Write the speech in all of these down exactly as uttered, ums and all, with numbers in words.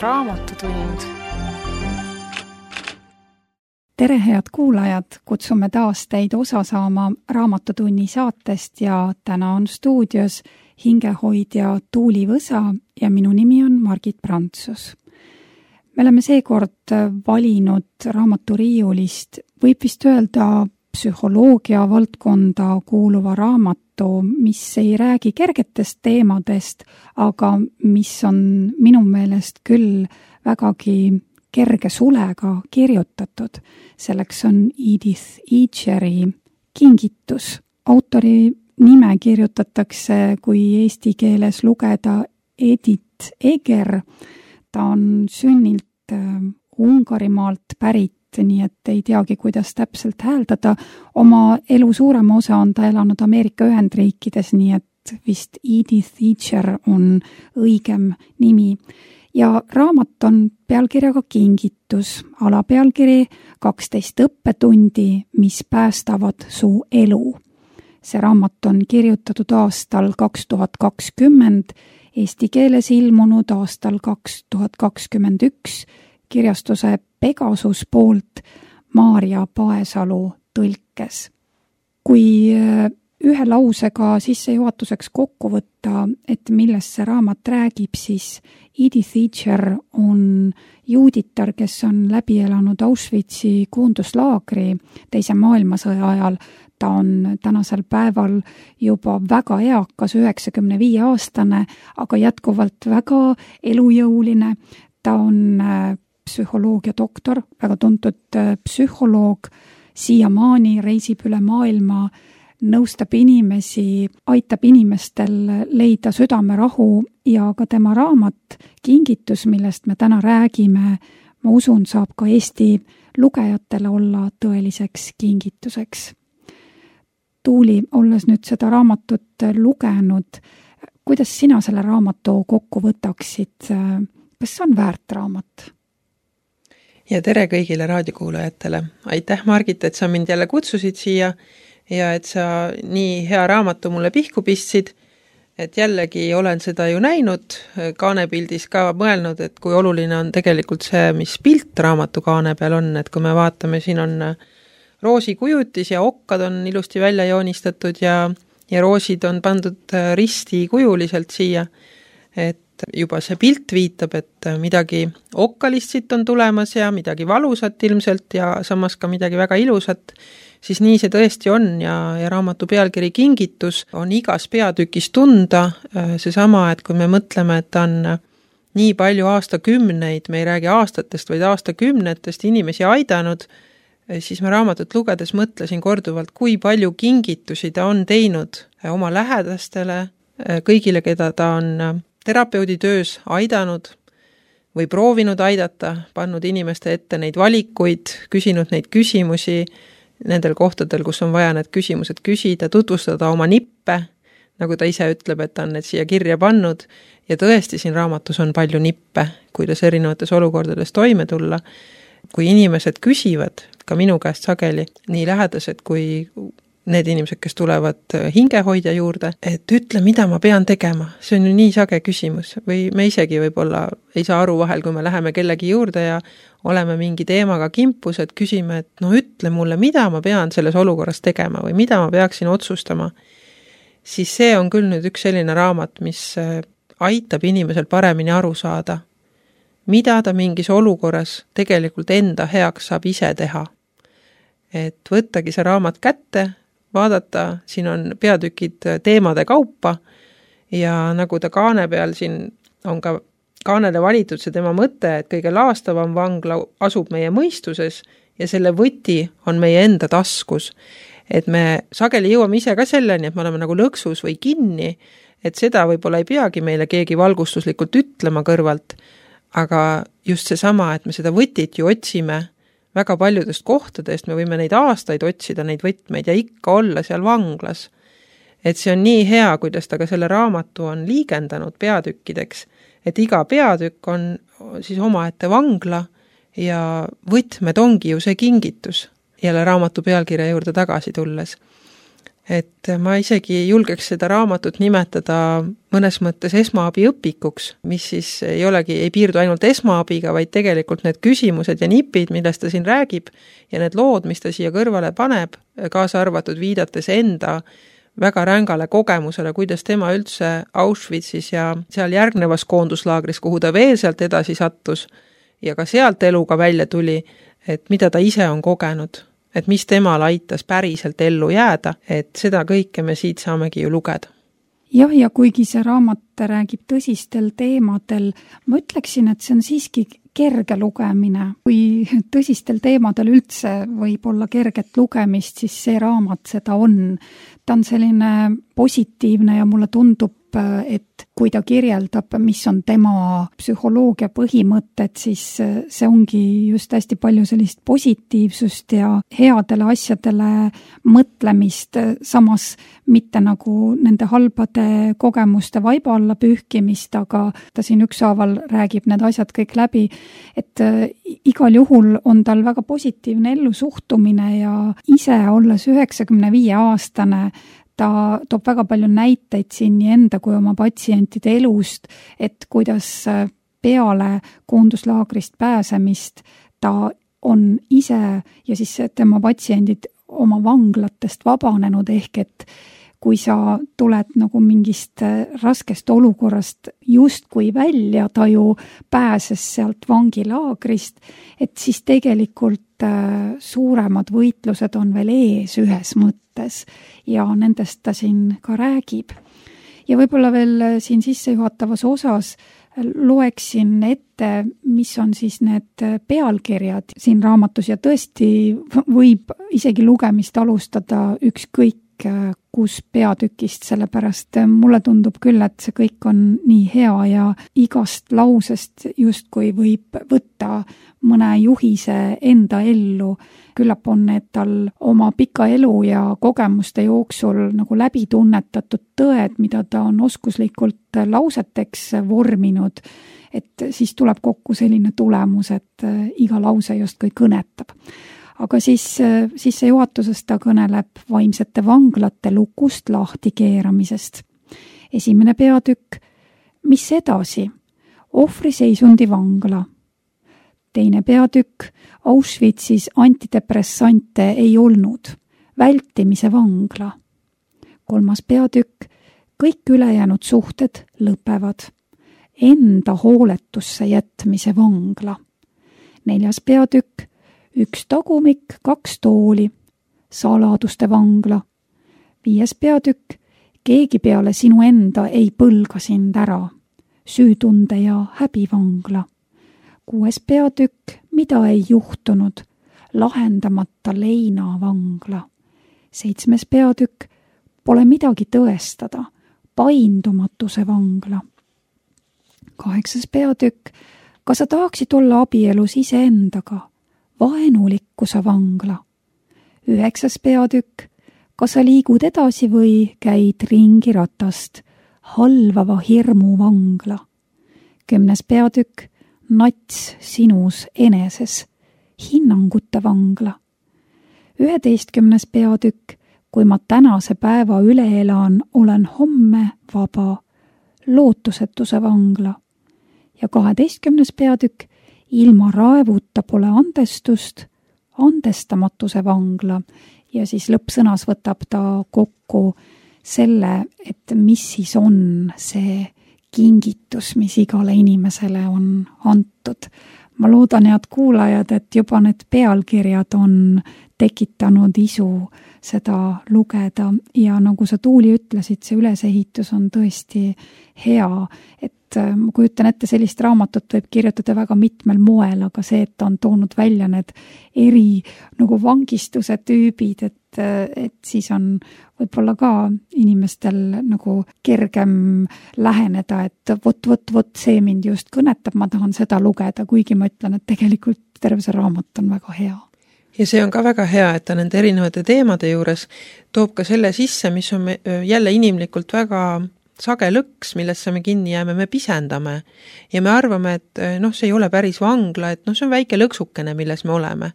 Raamatutund. Tere, head kuulajad! Kutsume taas teid osa saama Raamatutunni saatest ja täna on stuudios hingehoidja Tuuli Võsa ja minu nimi on Margit Prantsus. Me oleme seekord valinud raamaturiiulist, võib vist öelda psühholoogia valdkonda kuuluva raamatu, mis ei räägi kergetest teemadest, aga mis on minu meelest küll vägagi kerge sulega kirjutatud. Selleks on Edith Eacheri Kingitus. Autori nime kirjutatakse, kui eesti keeles lugeda, Edith Eger. Ta on sünnilt Ungarimaalt pärit, nii et ei teagi, kuidas täpselt hääldada. Oma elu suurema osa on ta elanud Ameerika Ühendriikides, nii et vist Edith Eacher on õigem nimi. Ja raamat on pealkirjaga Kingitus, alapealkiri kaksteist õppetundi, mis päästavad su elu. See raamat on kirjutatud aastal kaks tuhat kakskümmend, eesti keeles ilmunud aastal kaks tuhat kakskümmend üks, kirjastuse Pegasus poolt Maarja Paesalu tõlkes. Kui ühe lausega sissejuhatuseks kokku võtta, et millest see raamat räägib, siis Edith Eacher on juuditar, kes on läbi elanud Auschwitzi koonduslaagri teise maailmasõja ajal. Ta on tänasel päeval juba väga eakas, üheksakümne viie aastane, aga jätkuvalt väga elujõuline. Ta on psühholoogia doktor, väga tuntud psühholoog, siiamaani reisib üle maailma, nõustab inimesi, aitab inimestel leida südamerahu ja ka tema raamat Kingitus, millest me täna räägime, ma usun, saab ka Eesti lugejatele olla tõeliseks kingituseks. Tuuli, olles nüüd seda raamatut lugenud, kuidas sina selle raamatu kokku võtaksid? Kas see on väärt raamat? Ja tere kõigile raadiokuulajatele. Aitäh, Margit, et sa mind jälle kutsusid siia ja et sa nii hea raamatu mulle pihku pistsid, et jällegi olen seda ju näinud, kaanepildis ka mõelnud, et kui oluline on tegelikult see, mis pilt raamatu kaane peal on, et kui me vaatame, siin on roosi kujutis ja okkad on ilusti välja joonistatud ja, ja roosid on pandud risti kujuliselt siia, et juba see pilt viitab, et midagi okkalist siit on tulemas ja midagi valusat ilmselt ja samas ka midagi väga ilusat, siis nii see tõesti on ja, ja raamatu pealkiri Kingitus on igas peatükis tunda seesama, et kui me mõtleme, et on nii palju aastakümneid, me ei räägi aastatest, vaid aastakümnetest inimesi aidanud, siis ma raamatut lugedes mõtlesin korduvalt, kui palju kingitusi ta on teinud oma lähedastele, kõigile, keda ta on terapeudi töös aidanud või proovinud aidata, pannud inimeste ette neid valikuid, küsinud neid küsimusi nendel kohtadel, kus on vaja need küsimused küsida, tutvustada oma nippe, nagu ta ise ütleb, et ta on need siia kirja pannud ja tõesti siin raamatus on palju nippe, kuidas erinevates olukordades toime tulla. Kui inimesed küsivad, ka minu käest sageli, nii lähedased kui need inimesed, kes tulevad hingehoidja juurde, et ütle, mida ma pean tegema. See on ju nii sage küsimus. Või me isegi võib-olla ei saa aru vahel, kui me läheme kellegi juurde ja oleme mingi teemaga kimpus, et küsime, et no ütle mulle, mida ma pean selles olukorras tegema või mida ma peaksin otsustama. Siis see on küll nüüd üks selline raamat, mis aitab inimesel paremini aru saada, mida ta mingis olukorras tegelikult enda heaks saab ise teha. Et võttagi see raamat kätte, vaadata, siin on peatükid teemade kaupa ja nagu ta kaane peal siin on ka kaanele valitud see tema mõte, et kõige laastavam vangla asub meie mõistuses ja selle võti on meie enda taskus. Et me sageli jõuame ise ka selleni, et me oleme nagu lõksus või kinni, et seda võib-olla ei peagi meile keegi valgustuslikult ütlema kõrvalt, aga just seesama, et me seda võtit ju otsime väga paljudest kohtadest, me võime neid aastaid otsida, neid võtmeid ja ikka olla seal vanglas. Et see on nii hea, kuidas ta ka selle raamatu on liigendanud peatükkideks, et iga peatükk on siis omaette vangla ja võtmed ongi ju see kingitus jälle raamatu pealkirja juurde tagasi tulles. et ma isegi julgeks seda raamatut nimetada mõnes mõttes esmaabiõpikuks, mis siis ei olegi, ei piirdu ainult esmaabiga, vaid tegelikult need küsimused ja nipid, millest ta siin räägib ja need lood, mis ta siia kõrvale paneb, kaasa arvatud viidates enda väga rängale kogemusele, kuidas tema üldse Auschwitzis ja seal järgnevas koonduslaagris, kuhu ta veel sealt edasi sattus ja ka sealt eluga välja tuli, et mida ta ise on kogenud, et mis temal aitas päriselt ellu jääda, et seda kõike me siit saamegi ju lugeda. Jah, ja kuigi see raamat räägib tõsistel teemadel, ma ütleksin, et see on siiski kerge lugemine. Kui tõsistel teemadel üldse võib olla kerget lugemist, siis see raamat seda on. Ta on selline positiivne ja mulle tundub, et kui ta kirjeldab, mis on tema psühholoogia põhimõtted, siis see ongi just hästi palju sellist positiivsust ja headele asjadele mõtlemist, samas mitte nagu nende halbade kogemuste vaiba alla pühkimist, aga ta siin ükshaaval räägib need asjad kõik läbi, et igal juhul on tal väga positiivne ellusuhtumine ja ise olles üheksakümne viie aastane, ta toob väga palju näiteid siin nii enda kui oma patsientide elust, et kuidas peale koonduslaagrist pääsemist ta on ise ja siis tema patsiendid oma vanglatest vabanenud, ehk et kui sa tuled nagu mingist raskest olukorrast justkui välja, ta ju pääses sealt vangilaagrist, et siis tegelikult suuremad võitlused on veel ees ühes mõttes ja nendest ta siin ka räägib. Ja võib-olla veel siin sissejuhatavas osas loeksin ette, mis on siis need pealkirjad siin raamatus ja tõesti võib isegi lugemist alustada ükskõik kus peatükist, sellepärast mulle tundub küll, et see kõik on nii hea ja igast lausest justkui võib võtta mõne juhise enda ellu. Küllap on need tal oma pika elu ja kogemuste jooksul nagu läbi tunnetatud tõed, mida ta on oskuslikult lauseteks vorminud, et siis tuleb kokku selline tulemus, et iga lause justkui kõnetab. Aga siis sissejuhatuses ta kõneleb vaimsete vanglate lukust lahtikeeramisest. Esimene peatükk, mis edasi? Ohvriseisundi vangla. Teine peatükk, Auschwitzis antidepressante ei olnud. Vältimise vangla. Kolmas peatükk, kõik ülejäänud suhted lõpevad. Enda hooletusse jätmise vangla. Neljas peatükk, üks tagumik, kaks tooli, saladuste vangla. Viies peatükk, keegi peale sinu enda ei põlga sind ära, süütunde ja häbivangla. Kuues peatükk, mida ei juhtunud, lahendamata leina vangla. Seitsmes peatükk, pole midagi tõestada, paindumatuse vangla. Kaheksas peatükk, kas sa tahaksid olla abielus iseendaga? Vaenulikkuse vangla. Üheksas peatükk, kas sa liigud edasi või käid ringi ratast, halvava hirmu vangla. Kümnes peatükk, nats sinus eneses, hinnangute vangla. Üheteistkümnes peatükk, kui ma tänase päeva üle elan, olen homme vaba, lootusetuse vangla. Ja kaheteistkümnes peatükk, ilma raevuta pole andestust, andestamatuse vangla ja siis lõppsõnas võtab ta kokku selle, et mis siis on see kingitus, mis igale inimesele on antud. Ma loodan, head kuulajad, et juba need pealkirjad on tekitanud isu seda lugeda ja nagu sa, Tuuli, ütlesid, see ülesehitus on tõesti hea, et ma kujutan ette, sellist raamatut võib kirjutada väga mitmel moel, aga see, et ta on toonud välja need eri nagu vangistuse tüübid, et, et siis on võib-olla ka inimestel nagu kergem läheneda, et vot, vot, vot see mind just kõnetab, ma tahan seda lugeda, kuigi ma ütlen, et tegelikult terve see raamat on väga hea. Ja see on ka väga hea, et ta nende erinevate teemade juures toob ka selle sisse, mis on jälle inimlikult väga sage lõks, millesse me kinni jääme, me pisendame ja me arvame, et noh, see ei ole päris vangla, et noh, see on väike lõksukene, milles me oleme.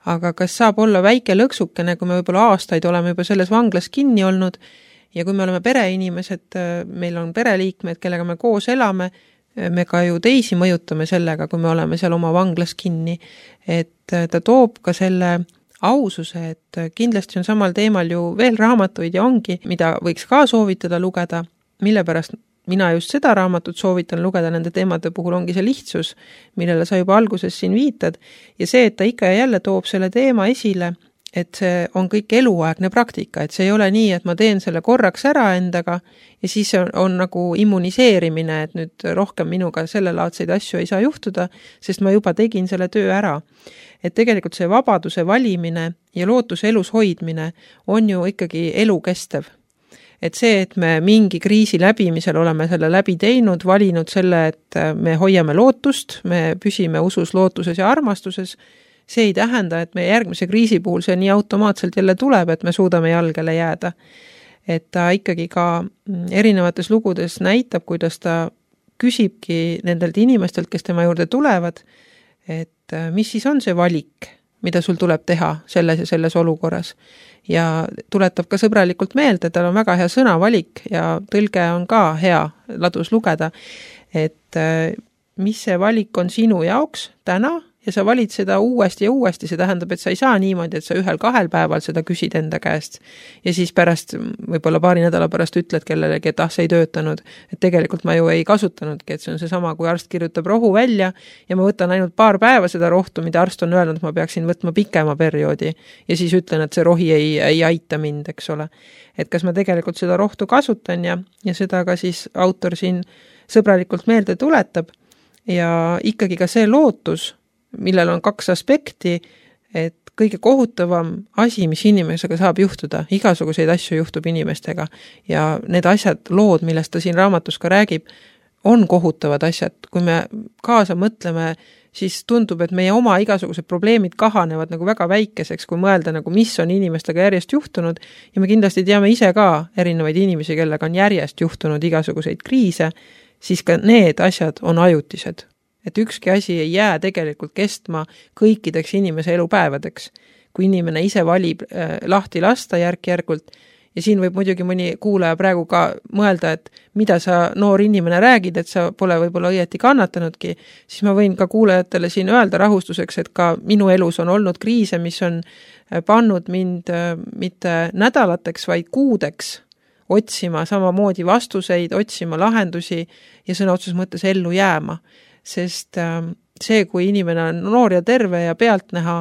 aga kas saab olla väike lõksukene, kui me võib-olla aastaid oleme juba selles vanglas kinni olnud ja kui me oleme pereinimesed, meil on pereliikmed, kellega me koos elame, me ka ju teisi mõjutame sellega, kui me oleme seal oma vanglas kinni, et ta toob ka selle aususe, et kindlasti on samal teemal ju veel raamatuid ja ongi, mida võiks ka soovitada lugeda, mille pärast mina just seda raamatut soovitan lugeda nende teemade puhul ongi see lihtsus, millele sa juba alguses siin viitad ja see, et ta ikka ja jälle toob selle teema esile, et see on kõik eluaegne praktika, et see ei ole nii, et ma teen selle korraks ära endaga ja siis on, on nagu immuniseerimine, et nüüd rohkem minuga sellelaadseid asju ei saa juhtuda, sest ma juba tegin selle töö ära. Et tegelikult see vabaduse valimine ja lootuse elus hoidmine on ju ikkagi elukestev. Et see, et me mingi kriisi läbimisel oleme selle läbi teinud, valinud selle, et me hoiame lootust, me püsime usus, lootuses ja armastuses, see ei tähenda, et meie järgmise kriisi puhul see nii automaatselt jälle tuleb, et me suudame jalgele jääda. Et ta ikkagi ka erinevates lugudes näitab, kuidas ta küsibki nendelt inimestelt, kes tema juurde tulevad, et mis siis on see valik, mida sul tuleb teha selles ja selles olukorras. Ja tuletab ka sõbralikult meelde, tal on väga hea sõnavalik ja tõlge on ka hea ladus lugeda, et mis see valik on sinu jaoks täna, ja sa valid seda uuesti ja uuesti, see tähendab, et sa ei saa niimoodi, et sa ühel-kahel päeval seda küsid enda käest ja siis pärast, võib-olla paari nädala pärast ütled kellelegi, et ah, see ei töötanud, et tegelikult ma ju ei kasutanudki, et see on see sama, kui arst kirjutab rohu välja ja ma võtan ainult paar päeva seda rohtu, mida arst on öelnud, ma peaksin võtma pikema perioodi ja siis ütlen, et see rohi ei, ei aita mind, eks ole. Et kas ma tegelikult seda rohtu kasutan ja, ja seda ka siis autor siin sõbralikult meelde tuletab ja ikkagi ka see lootus, millel on kaks aspekti, et kõige kohutavam asi, mis inimesega saab juhtuda, igasuguseid asju juhtub inimestega ja need asjad, lood, millest ta siin raamatus ka räägib, on kohutavad asjad. Kui me kaasa mõtleme, siis tundub, et meie oma igasugused probleemid kahanevad nagu väga väikeseks, kui mõelda nagu mis on inimestega järjest juhtunud ja me kindlasti teame ise ka erinevaid inimesi, kellega on järjest juhtunud igasuguseid kriise, siis ka need asjad on ajutised. Et ükski asi ei jää tegelikult kestma kõikideks inimese elupäevadeks. Kui inimene ise valib äh, lahti lasta järk-järgult ja siin võib muidugi mõni kuulaja praegu ka mõelda, et mida sa noor inimene räägid, et sa pole võib-olla õieti kannatanudki, siis ma võin ka kuulajatele siin öelda rahustuseks, et ka minu elus on olnud kriise, mis on pannud mind äh, mitte nädalateks, vaid kuudeks otsima samamoodi vastuseid, otsima lahendusi ja sõna otseses mõttes ellu jääma. Sest see, kui inimene on noor ja terve ja pealtnäha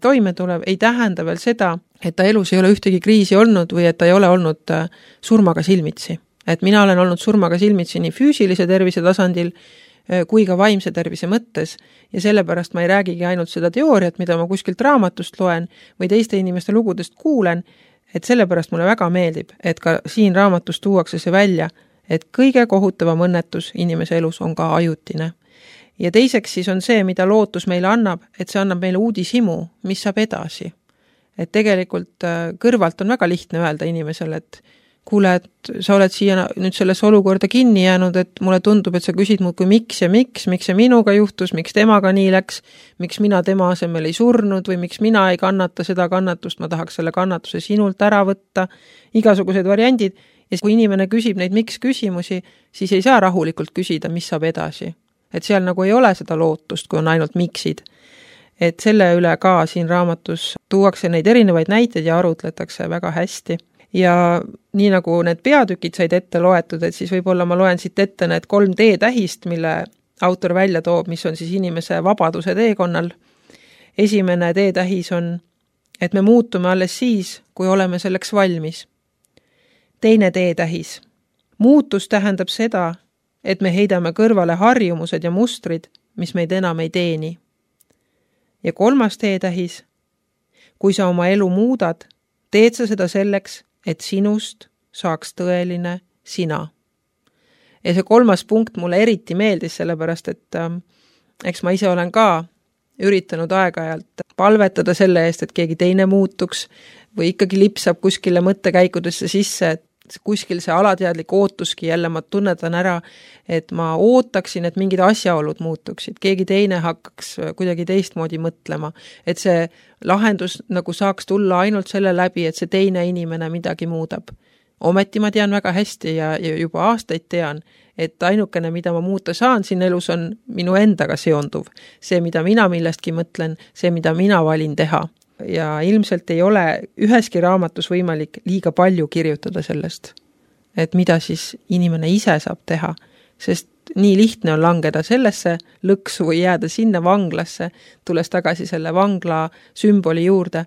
toime tulev, ei tähenda veel seda, et ta elus ei ole ühtegi kriisi olnud või et ta ei ole olnud surmaga silmitsi. Et mina olen olnud surmaga silmitsi nii füüsilise tervise tasandil kui ka vaimse tervise mõttes ja sellepärast ma ei räägigi ainult seda teooriat, mida ma kuskilt raamatust loen või teiste inimeste lugudest kuulen, et sellepärast mulle väga meeldib, et ka siin raamatus tuuakse see välja, et kõige kohutavam õnnetus inimese elus on ka ajutine. Ja teiseks siis on see, mida lootus meile annab, et see annab meile uudishimu, mis saab edasi. Et tegelikult kõrvalt on väga lihtne öelda inimesele, et kuule, et sa oled siia nüüd selles olukorda kinni jäänud, et mulle tundub, et sa küsid mul kui miks ja miks, miks see minuga juhtus, miks temaga nii läks, miks mina tema asemel ei surnud või miks mina ei kannata seda kannatust, ma tahaks selle kannatuse sinult ära võtta, igasugused variandid. Ja kui inimene küsib neid miks küsimusi, siis ei saa rahulikult küsida, mis saab edasi. Et seal nagu ei ole seda lootust, kui on ainult miksid. Et selle üle ka siin raamatus tuuakse neid erinevaid näiteid ja arutletakse väga hästi. Ja nii nagu need peatükid said ette loetud, et siis võib-olla ma loen siit ette need kolm D-tähist, mille autor välja toob, mis on siis inimese vabaduse teekonnal. Esimene D-tähis on, et me muutume alles siis, kui oleme selleks valmis. Teine D-tähis. Muutus tähendab seda, et me heidame kõrvale harjumused ja mustrid, mis meid enam ei teeni. Ja kolmas D-tähis. Kui sa oma elu muudad, teed sa seda selleks, et sinust saaks tõeline sina. Ja see kolmas punkt mulle eriti meeldis, sellepärast, et äh, eks ma ise olen ka üritanud aeg-ajalt palvetada selle eest, et keegi teine muutuks või ikkagi lipsab kuskile mõttekäikudesse sisse, et et kuskil see alateadlik ootuski jälle ma tunnetan ära, et ma ootaksin, et mingid asjaolud muutuksid, keegi teine hakkaks kuidagi teistmoodi mõtlema, et see lahendus nagu saaks tulla ainult selle läbi, et see teine inimene midagi muudab. Ometi ma tean väga hästi ja, ja juba aastaid tean, et ainukene, mida ma muuta saan siin elus, on minu endaga seonduv. See, mida mina millestki mõtlen, see, mida mina valin teha. Ja ilmselt ei ole üheski raamatus võimalik liiga palju kirjutada sellest, et mida siis inimene ise saab teha, sest nii lihtne on langeda sellesse lõksu või jääda sinna vanglasse, tulles tagasi selle vangla sümboli juurde,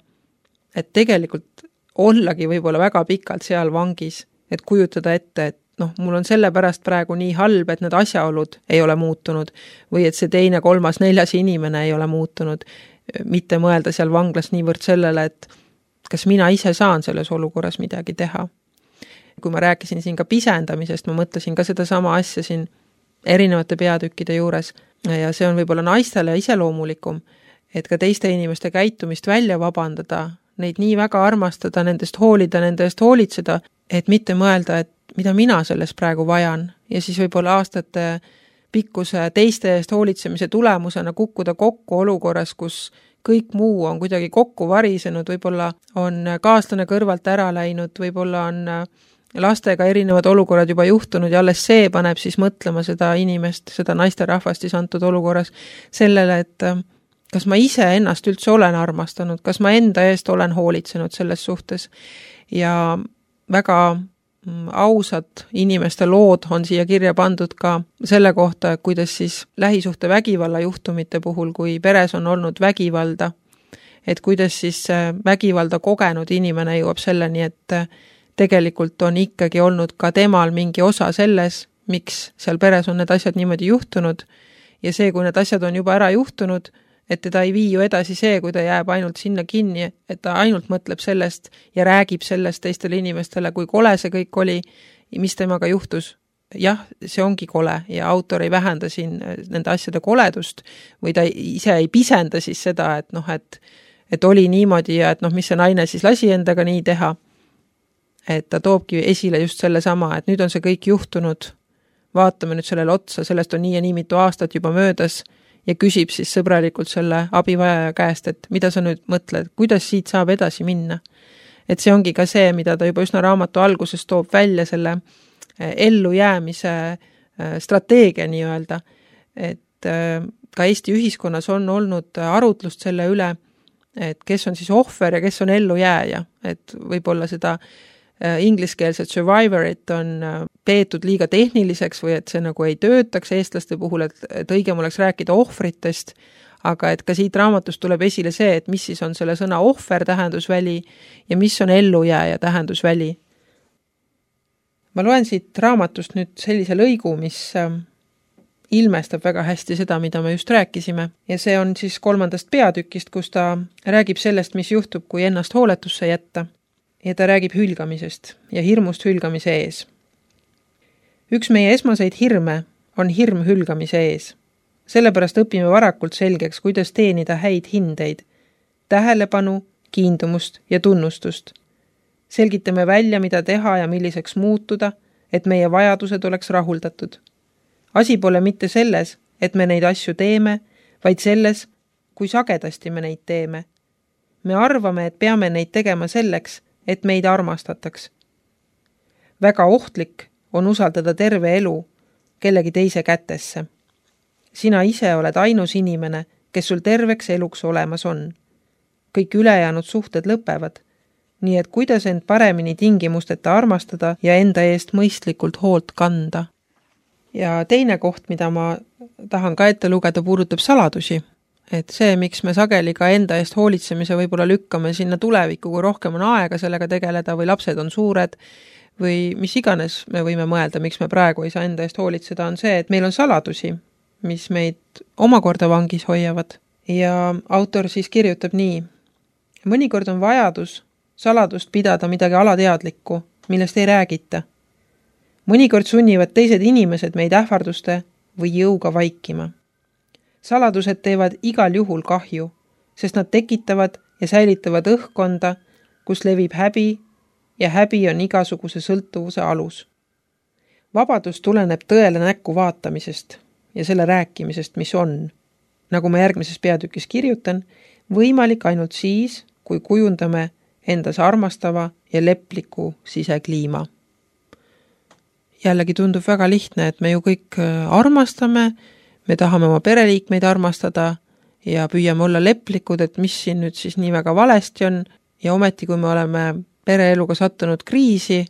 et tegelikult ollagi võib-olla väga pikalt seal vangis, et kujutada ette, et noh, mul on selle pärast praegu nii halb, et need asjaolud ei ole muutunud või et see teine, kolmas, neljas inimene ei ole muutunud, mitte mõelda seal vanglas niivõrd sellele, et kas mina ise saan selles olukorras midagi teha. Kui ma rääkisin siin ka pisendamisest, ma mõtlesin ka seda sama asja siin erinevate peatükkide juures ja see on võib-olla naistele iseloomulikum, et ka teiste inimeste käitumist välja vabandada, neid nii väga armastada, nendest hoolida, nende eest hoolitseda, et mitte mõelda, et mida mina selles praegu vajan ja siis võib-olla aastate pikkuse teiste eest hoolitsemise tulemusena kukkuda kokku olukorras, kus kõik muu on kuidagi kokku varisenud, võib-olla on kaaslane kõrvalt ära läinud, võib-olla on lastega erinevad olukorrad juba juhtunud ja alles see paneb siis mõtlema seda inimest, seda naisterahvastis antud olukorras sellele, et kas ma ise ennast üldse olen armastanud, kas ma enda eest olen hoolitsenud selles suhtes ja väga ausad inimeste lood on siia kirja pandud ka selle kohta, kuidas siis lähisuhte vägivalla juhtumite puhul, kui peres on olnud vägivalda, et kuidas siis vägivalda kogenud inimene jõuab selleni, et tegelikult on ikkagi olnud ka temal mingi osa selles, miks seal peres on need asjad niimoodi juhtunud ja see, kui need asjad on juba ära juhtunud, et teda ei vii ju edasi see, kui ta jääb ainult sinna kinni, et ta ainult mõtleb sellest ja räägib sellest teistele inimestele, kui kole see kõik oli, mis temaga juhtus. Jah, see ongi kole ja autor ei vähenda siin nende asjade koledust või ta ise ei pisenda siis seda, et noh, et, et oli niimoodi ja et noh, mis see naine siis lasi endaga nii teha. Et ta toobki esile just selle sama, et nüüd on see kõik juhtunud, vaatame nüüd sellele otsa, sellest on nii ja nii mitu aastat juba möödas ja küsib siis sõbralikult selle abivajaja käest, et mida sa nüüd mõtled, kuidas siit saab edasi minna. Et see ongi ka see, mida ta juba üsna raamatu alguses toob välja selle ellujäämise strateegia nii-öelda, et ka Eesti ühiskonnas on olnud arutlust selle üle, et kes on siis ohver ja kes on ellujääja, et võib-olla seda ingliskeelset survivorit on peetud liiga tehniliseks või et see nagu ei töötaks eestlaste puhul, et, et õigem oleks rääkida ohvritest, aga et ka siit raamatust tuleb esile see, et mis siis on selle sõna ohver tähendusväli ja mis on ellujääja tähendusväli. Ma loen siit raamatust nüüd sellise lõigu, mis ilmestab väga hästi seda, mida me just rääkisime ja see on siis kolmandast peatükist, kus ta räägib sellest, mis juhtub, kui ennast hooletusse jätta. Ja ta räägib hülgamisest ja hirmust hülgamise ees. Üks meie esmaseid hirme on hirm hülgamise ees. Sellepärast õpime varakult selgeks, kuidas teenida häid hindeid, tähelepanu, kiindumust ja tunnustust. Selgitame välja, mida teha ja milliseks muutuda, et meie vajadused oleks rahuldatud. Asi pole mitte selles, et me neid asju teeme, vaid selles, kui sagedasti me neid teeme. Me arvame, et peame neid tegema selleks, et meid armastataks. Väga ohtlik on usaldada terve elu kellegi teise kätesse. Sina ise oled ainus inimene, kes sul terveks eluks olemas on. Kõik ülejäänud suhted lõpevad, nii et kuidas end paremini tingimusteta armastada ja enda eest mõistlikult hoolt kanda. Ja teine koht, mida ma tahan ka ette lugeda, puudutab saladusi. Et see, miks me sageli ka enda eest hoolitsemise võib-olla lükkame sinna tulevikku, kui rohkem on aega sellega tegeleda või lapsed on suured või mis iganes me võime mõelda, miks me praegu ei saa enda eest hoolitseda, on see, et meil on saladusi, mis meid omakorda vangis hoiavad. Ja autor siis kirjutab nii. Mõnikord on vajadus saladust pidada midagi alateadlikku, millest ei räägita. Mõnikord sunnivad teised inimesed meid ähvarduste või jõuga vaikima. Saladused teevad igal juhul kahju, sest nad tekitavad ja säilitavad õhkkonda, kus levib häbi, ja häbi on igasuguse sõltuvuse alus. Vabadus tuleneb tõele näkku vaatamisest ja selle rääkimisest, mis on, nagu ma järgmises peatükis kirjutan, võimalik ainult siis, kui kujundame endas armastava ja lepliku sisekliima. Jällegi tundub väga lihtne, et me ju kõik armastame, me tahame oma pereliikmeid armastada ja püüame olla leplikud, et mis siin nüüd siis nii väga valesti on, ja ometi kui me oleme pereeluga sattunud kriisi,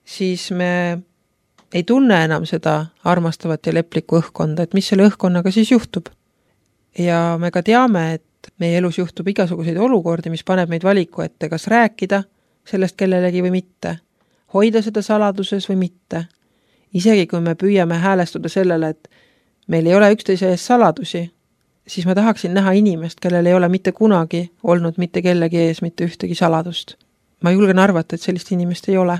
siis me ei tunne enam seda armastavat ja leplikku õhkkonda, et mis selle õhkkonnaga siis juhtub. Ja me ka teame, et meie elus juhtub igasuguseid olukordi, mis paneb meid valiku ette, kas rääkida sellest kellelegi või mitte, hoida seda saladuses või mitte. Isegi kui me püüame häälestuda sellele, et meil ei ole üksteise ees saladusi, siis ma tahaksin näha inimest, kellel ei ole mitte kunagi olnud mitte kellegi ees mitte ühtegi saladust. Ma julgen arvata, et sellist inimest ei ole.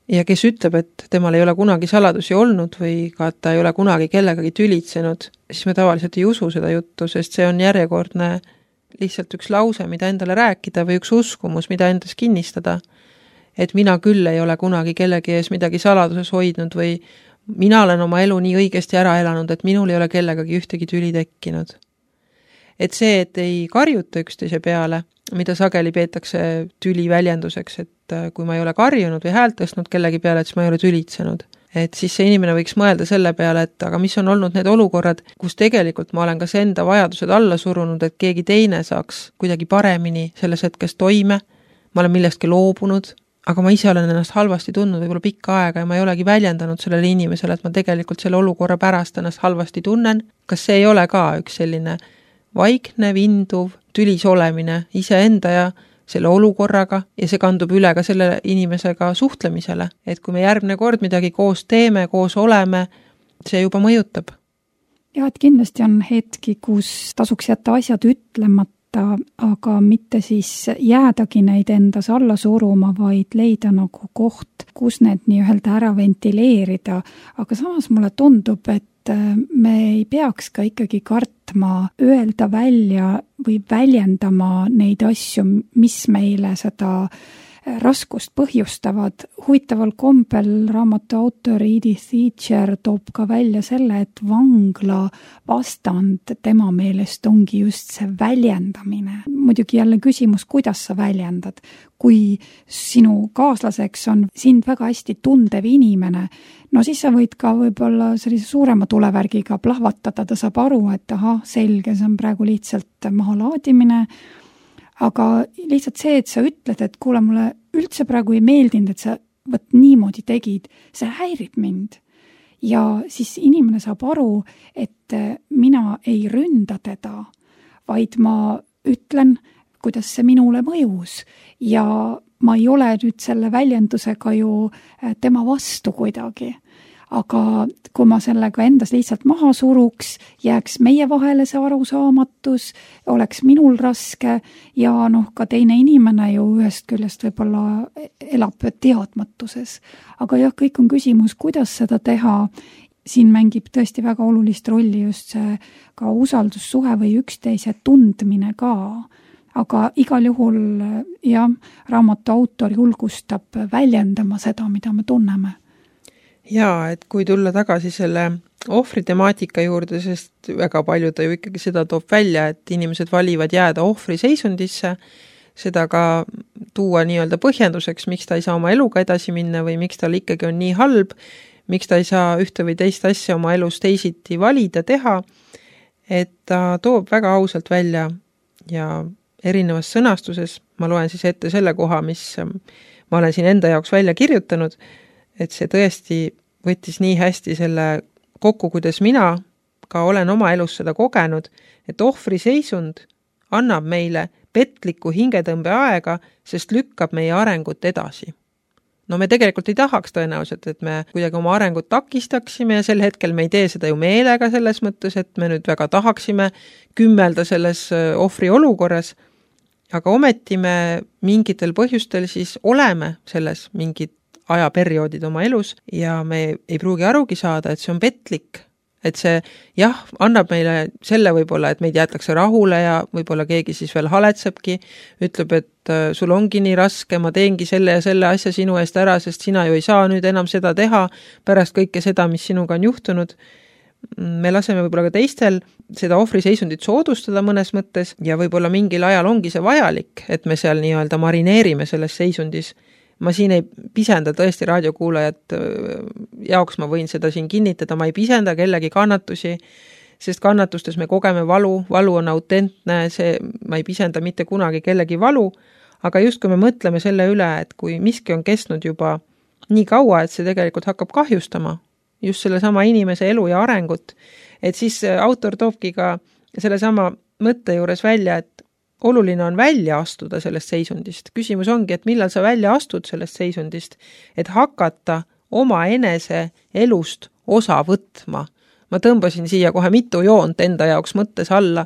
Ja kes ütleb, et temal ei ole kunagi saladusi olnud või ka ta ei ole kunagi kellegagi tülitsenud, siis me tavaliselt ei usu seda juttu, sest see on järjekordne lihtsalt üks lause, mida endale rääkida või üks uskumus, mida endas kinnistada. Et mina küll ei ole kunagi kellegi ees midagi saladuses hoidnud või mina olen oma elu nii õigesti ära elanud, et minul ei ole kellegagi ühtegi tüli tekkinud. Et see, et ei karjuta üksteise peale, mida sageli peetakse tüli väljenduseks, et kui ma ei ole karjunud või häält tõstnud kellegi peale, et siis ma ei ole tülitsenud. Et siis see inimene võiks mõelda selle peale, et aga mis on olnud need olukorrad, kus tegelikult ma olen kas enda vajadused alla surunud, et keegi teine saaks kuidagi paremini selles hetkes toime, ma olen millestki loobunud, aga ma ise olen ennast halvasti tundnud võib-olla pikka aega ja ma ei olegi väljendanud sellele inimesele, et ma tegelikult selle olukorra pärast ennast halvasti tunnen. Kas see ei ole ka üks selline vaikne, vinduv, tülis olemine iseenda ja selle olukorraga ja see kandub üle ka selle inimesega suhtlemisele, et kui me järgmine kord midagi koos teeme, koos oleme, see juba mõjutab. Ja, et kindlasti on hetki, kus tasuks jätta asjad ütlemata, aga mitte siis jäädagi neid endas alla suruma, vaid leida nagu koht, kus need nii-öelda ära ventileerida. Aga samas mulle tundub, et me ei peaks ka ikkagi kartma öelda välja või väljendama neid asju, mis meile seda raskust põhjustavad. Huvitaval kombel raamatu autor Edith Eger toob ka välja selle, et vangla vastand tema meelest ongi just see väljendamine. Muidugi jälle küsimus, kuidas sa väljendad. Kui sinu kaaslaseks on sind väga hästi tundev inimene, no siis sa võid ka võib-olla sellise suurema tulevärgiga plahvatada, ta saab aru, et aha, selge, see on praegu lihtsalt mahalaadimine. Aga lihtsalt see, et sa ütled, et kuule, mulle üldse praegu ei meeldinud, et sa võt niimoodi tegid, see häirib mind. Ja siis inimene saab aru, et mina ei ründa teda, vaid ma ütlen, kuidas see minule mõjus ja ma ei ole nüüd selle väljendusega ju tema vastu kuidagi. Aga kui ma sellega endas lihtsalt maha suruks, jääks meie vahele see arusaamatus, oleks minul raske ja noh, ka teine inimene ju ühest küljest võib-olla elab teadmatuses. Aga jah, kõik on küsimus, kuidas seda teha. Siin mängib tõesti väga olulist rolli just see ka usaldussuhe või üksteise tundmine ka. Aga igal juhul jah, raamatu autor julgustab väljendama seda, mida me tunneme. Jaa, et kui tulla tagasi selle ohvri temaatika juurde, sest väga palju ta ju ikkagi seda toob välja, et inimesed valivad jääda ohvri seisundisse, seda ka tuua nii-öelda põhjenduseks, miks ta ei saa oma eluga edasi minna või miks tal ikkagi on nii halb, miks ta ei saa ühte või teist asja oma elus teisiti valida, teha, et ta toob väga ausalt välja ja erinevas sõnastuses, ma loen siis ette selle koha, mis ma olen siin enda jaoks välja kirjutanud, et see tõesti võttis nii hästi selle kokku, kuidas mina ka olen oma elus seda kogenud, et ohvri seisund annab meile petliku hingetõmbe aega, sest lükkab meie arengut edasi. No me tegelikult ei tahaks tõenäoliselt, et me kuidagi oma arengut takistaksime ja sel hetkel me ei tee seda ju meelega selles mõttes, et me nüüd väga tahaksime kümmelda selles ohvri olukorras, aga ometi me mingitel põhjustel siis oleme selles mingid ajaperioodid oma elus ja me ei pruugi arugi saada, et see on petlik, et see jah, annab meile selle võib-olla, et meid jäetakse rahule ja võib-olla keegi siis veel haletsebki, ütleb, et sul ongi nii raske, ma teengi selle ja selle asja sinu eest ära, sest sina ju ei saa nüüd enam seda teha pärast kõike seda, mis sinuga on juhtunud. Me laseme võib-olla ka teistel seda ohvriseisundit soodustada mõnes mõttes ja võib-olla mingil ajal ongi see vajalik, et me seal nii-öelda marineerime selles seisundis. Ma siin ei pisenda tõesti raadiokuulajat jaoks, ma võin seda siin kinnitada, ma ei pisenda kellegi kannatusi, sest kannatustes me kogeme valu, valu on autentne, see, ma ei pisenda mitte kunagi kellegi valu, aga just kui me mõtleme selle üle, et kui miski on kestnud juba nii kaua, et see tegelikult hakkab kahjustama just selle sama inimese elu ja arengut, et siis autor toobki ka selle sama mõtte juures välja, et oluline on välja astuda sellest seisundist. Küsimus ongi, et millal sa välja astud sellest seisundist, et hakata oma enese elust osa võtma. Ma tõmbasin siia kohe mitu joont enda jaoks mõttes alla,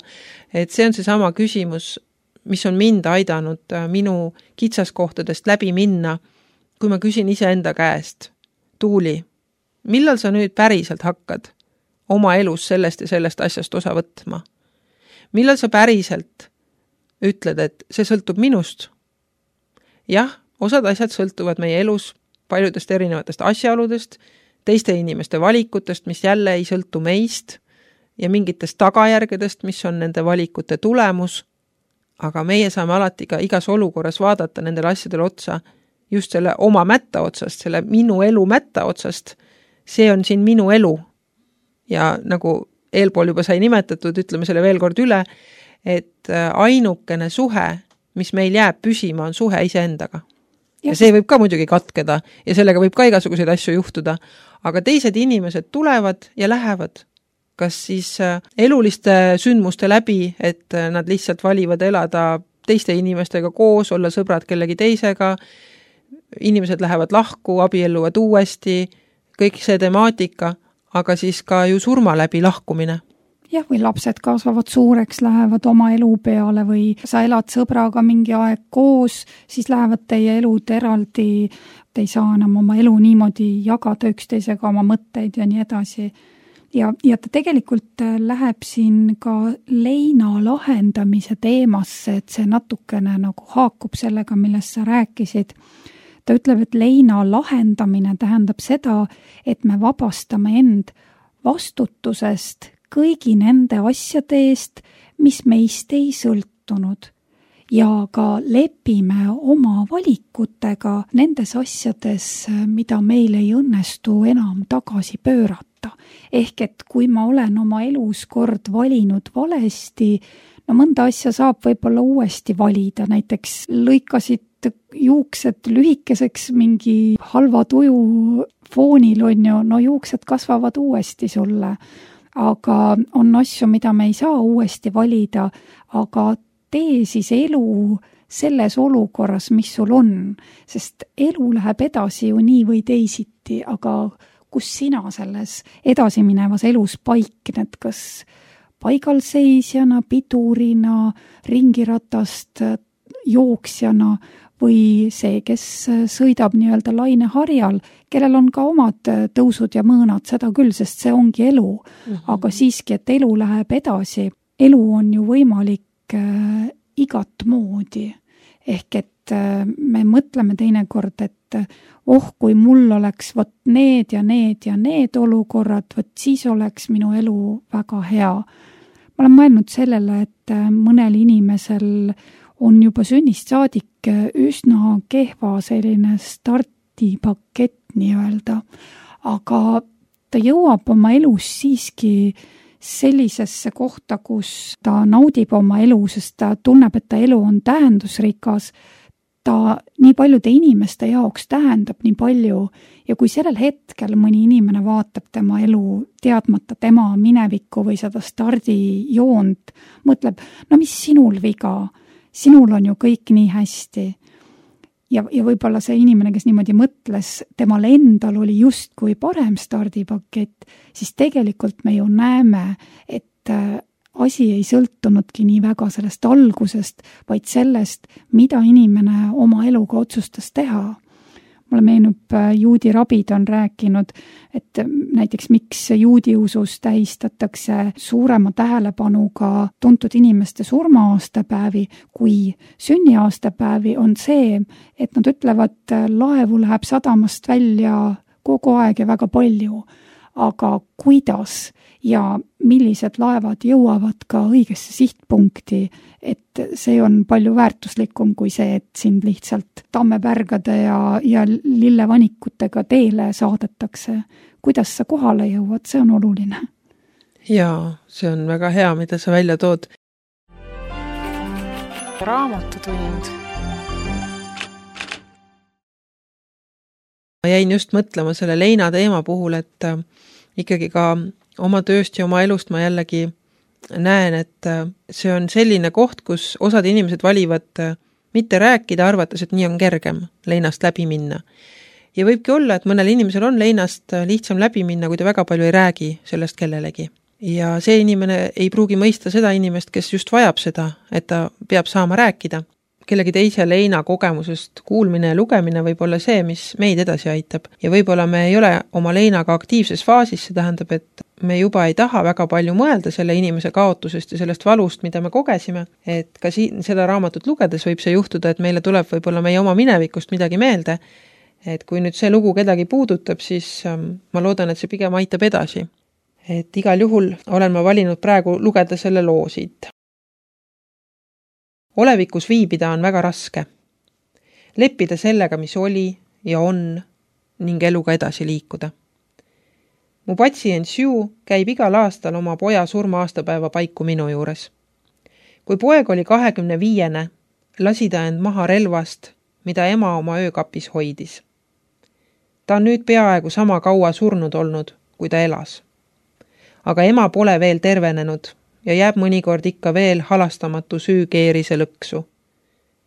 et see on see sama küsimus, mis on mind aidanud minu kitsaskohtadest läbi minna, kui ma küsin ise enda käest, Tuuli, millal sa nüüd päriselt hakkad oma elus sellest ja sellest asjast osa võtma? Millal sa päriselt ütled, et see sõltub minust? Jah, osad asjad sõltuvad meie elus paljudest erinevatest asjaoludest, teiste inimeste valikutest, mis jälle ei sõltu meist ja mingitest tagajärgedest, mis on nende valikute tulemus, aga meie saame alati ka igas olukorras vaadata nendele asjadele otsa just selle oma mätta otsast, selle minu elu mätta otsast. See on siin minu elu. Ja nagu eelpool juba sai nimetatud, ütleme selle veel kord üle, et ainukene suhe, mis meil jääb püsima, on suhe iseendaga. Ja see võib ka muidugi katkeda ja sellega võib ka igasuguseid asju juhtuda, aga teised inimesed tulevad ja lähevad. Kas siis eluliste sündmuste läbi, et nad lihtsalt valivad elada teiste inimestega koos, olla sõbrad kellegi teisega, inimesed lähevad lahku, abielluvad uuesti, kõik see temaatika, aga siis ka ju surma läbi lahkumine. Jah, või lapsed kasvavad suureks, lähevad oma elu peale või sa elad sõbraga mingi aeg koos, siis lähevad teie elud eraldi, te ei saa enam oma elu niimoodi jagada üksteisega oma mõtteid ja nii edasi. Ja, ja ta tegelikult läheb siin ka leina lahendamise teemasse, et see natukene nagu haakub sellega, millest sa rääkisid. Ta ütleb, et leina lahendamine tähendab seda, et me vabastame end vastutusest kõigi nende asjade eest, mis meist ei sõltunud ja ka lepime oma valikutega nendes asjades, mida meil ei õnnestu enam tagasi pöörata. Ehk et kui ma olen oma elus kord valinud valesti, no mõnda asja saab võib-olla uuesti valida, näiteks lõikasid juuksed lühikeseks mingi halva tuju foonil on ju, no juuksed kasvavad uuesti sulle. Aga on asju, mida me ei saa uuesti valida, aga tee siis elu selles olukorras, mis sul on, sest elu läheb edasi ju nii või teisiti, aga kus sina selles edasiminevas elus paikned, kas paigalseisjana, pidurina, ringiratast jooksjana või see, kes sõidab nii-öelda laineharjal, kellel on ka omad tõusud ja mõõnad, seda küll, sest see ongi elu. Mm-hmm. Aga siiski, et elu läheb edasi. Elu on ju võimalik äh, igat moodi. Ehk et äh, me mõtleme teinekord, et oh, kui mul oleks võt need ja need ja need olukorrad, võt siis oleks minu elu väga hea. Ma olen mõelnud sellele, et äh, mõnel inimesel on juba sünnist saadik üsna kehva selline stardipakett nii-öelda, aga ta jõuab oma elus siiski sellisesse kohta, kus ta naudib oma elu, sest ta tunneb, et ta elu on tähendusrikas, ta nii paljude inimeste jaoks tähendab nii palju ja kui sellel hetkel mõni inimene vaatab tema elu teadmata tema minevikku või seda stardijoont, mõtleb, no mis sinul viga? Sinul on ju kõik nii hästi. Ja, ja võib-olla see inimene, kes niimoodi mõtles, temal endal oli justkui parem stardipakett, siis tegelikult me ju näeme, et asi ei sõltunudki nii väga sellest algusest, vaid sellest, mida inimene oma eluga otsustas teha. Mulle meenub, juudi rabid on rääkinud, et näiteks miks juudi usus tähistatakse suurema tähelepanuga tuntud inimeste surma-aastapäevi kui sünniaastapäevi, on see, et nad ütlevad, laevu läheb sadamast välja kogu aeg ja väga palju, aga kuidas ja millised laevad jõuavad ka õigesse sihtpunkti, et see on palju väärtuslikum kui see, et sind lihtsalt tammepärgade ja, ja lillevanikutega teele saadetakse. Kuidas sa kohale jõuad, see on oluline. Jaa, see on väga hea, mida sa välja tood. Raamatutund. Ma jäin just mõtlema selle leina teema puhul, et ikkagi ka oma tööst ja oma elust ma jällegi näen, et see on selline koht, kus osad inimesed valivad mitte rääkida, arvates, et nii on kergem leinast läbi minna. Ja võibki olla, et mõnel inimesel on leinast lihtsam läbi minna, kui ta väga palju ei räägi sellest kellelegi. Ja see inimene ei pruugi mõista seda inimest, kes just vajab seda, et ta peab saama rääkida. Kellegi teise leina kogemusest kuulmine ja lugemine võib olla see, mis meid edasi aitab. Ja võib-olla me ei ole oma leinaga aktiivses faasis, see tähendab, et me juba ei taha väga palju mõelda selle inimese kaotusest ja sellest valust, mida me kogesime. Et ka siin seda raamatut lugedes võib see juhtuda, et meile tuleb võib-olla meie oma minevikust midagi meelde. Et kui nüüd see lugu kedagi puudutab, siis ma loodan, et see pigem aitab edasi. Et igal juhul olen ma valinud praegu lugeda selle loo siit. Olevikus viibida on väga raske. Leppida sellega, mis oli ja on, ning eluga edasi liikuda. Mu patsient Sue käib igal aastal oma poja surma aastapäeva paiku minu juures. Kui poeg oli kahekümne viiene, lasi ta end maha relvast, mida ema oma öökapis hoidis. Ta on nüüd peaaegu sama kaua surnud olnud, kui ta elas. Aga ema pole veel tervenenud ja jääb mõnikord ikka veel halastamatu süü keerise lõksu.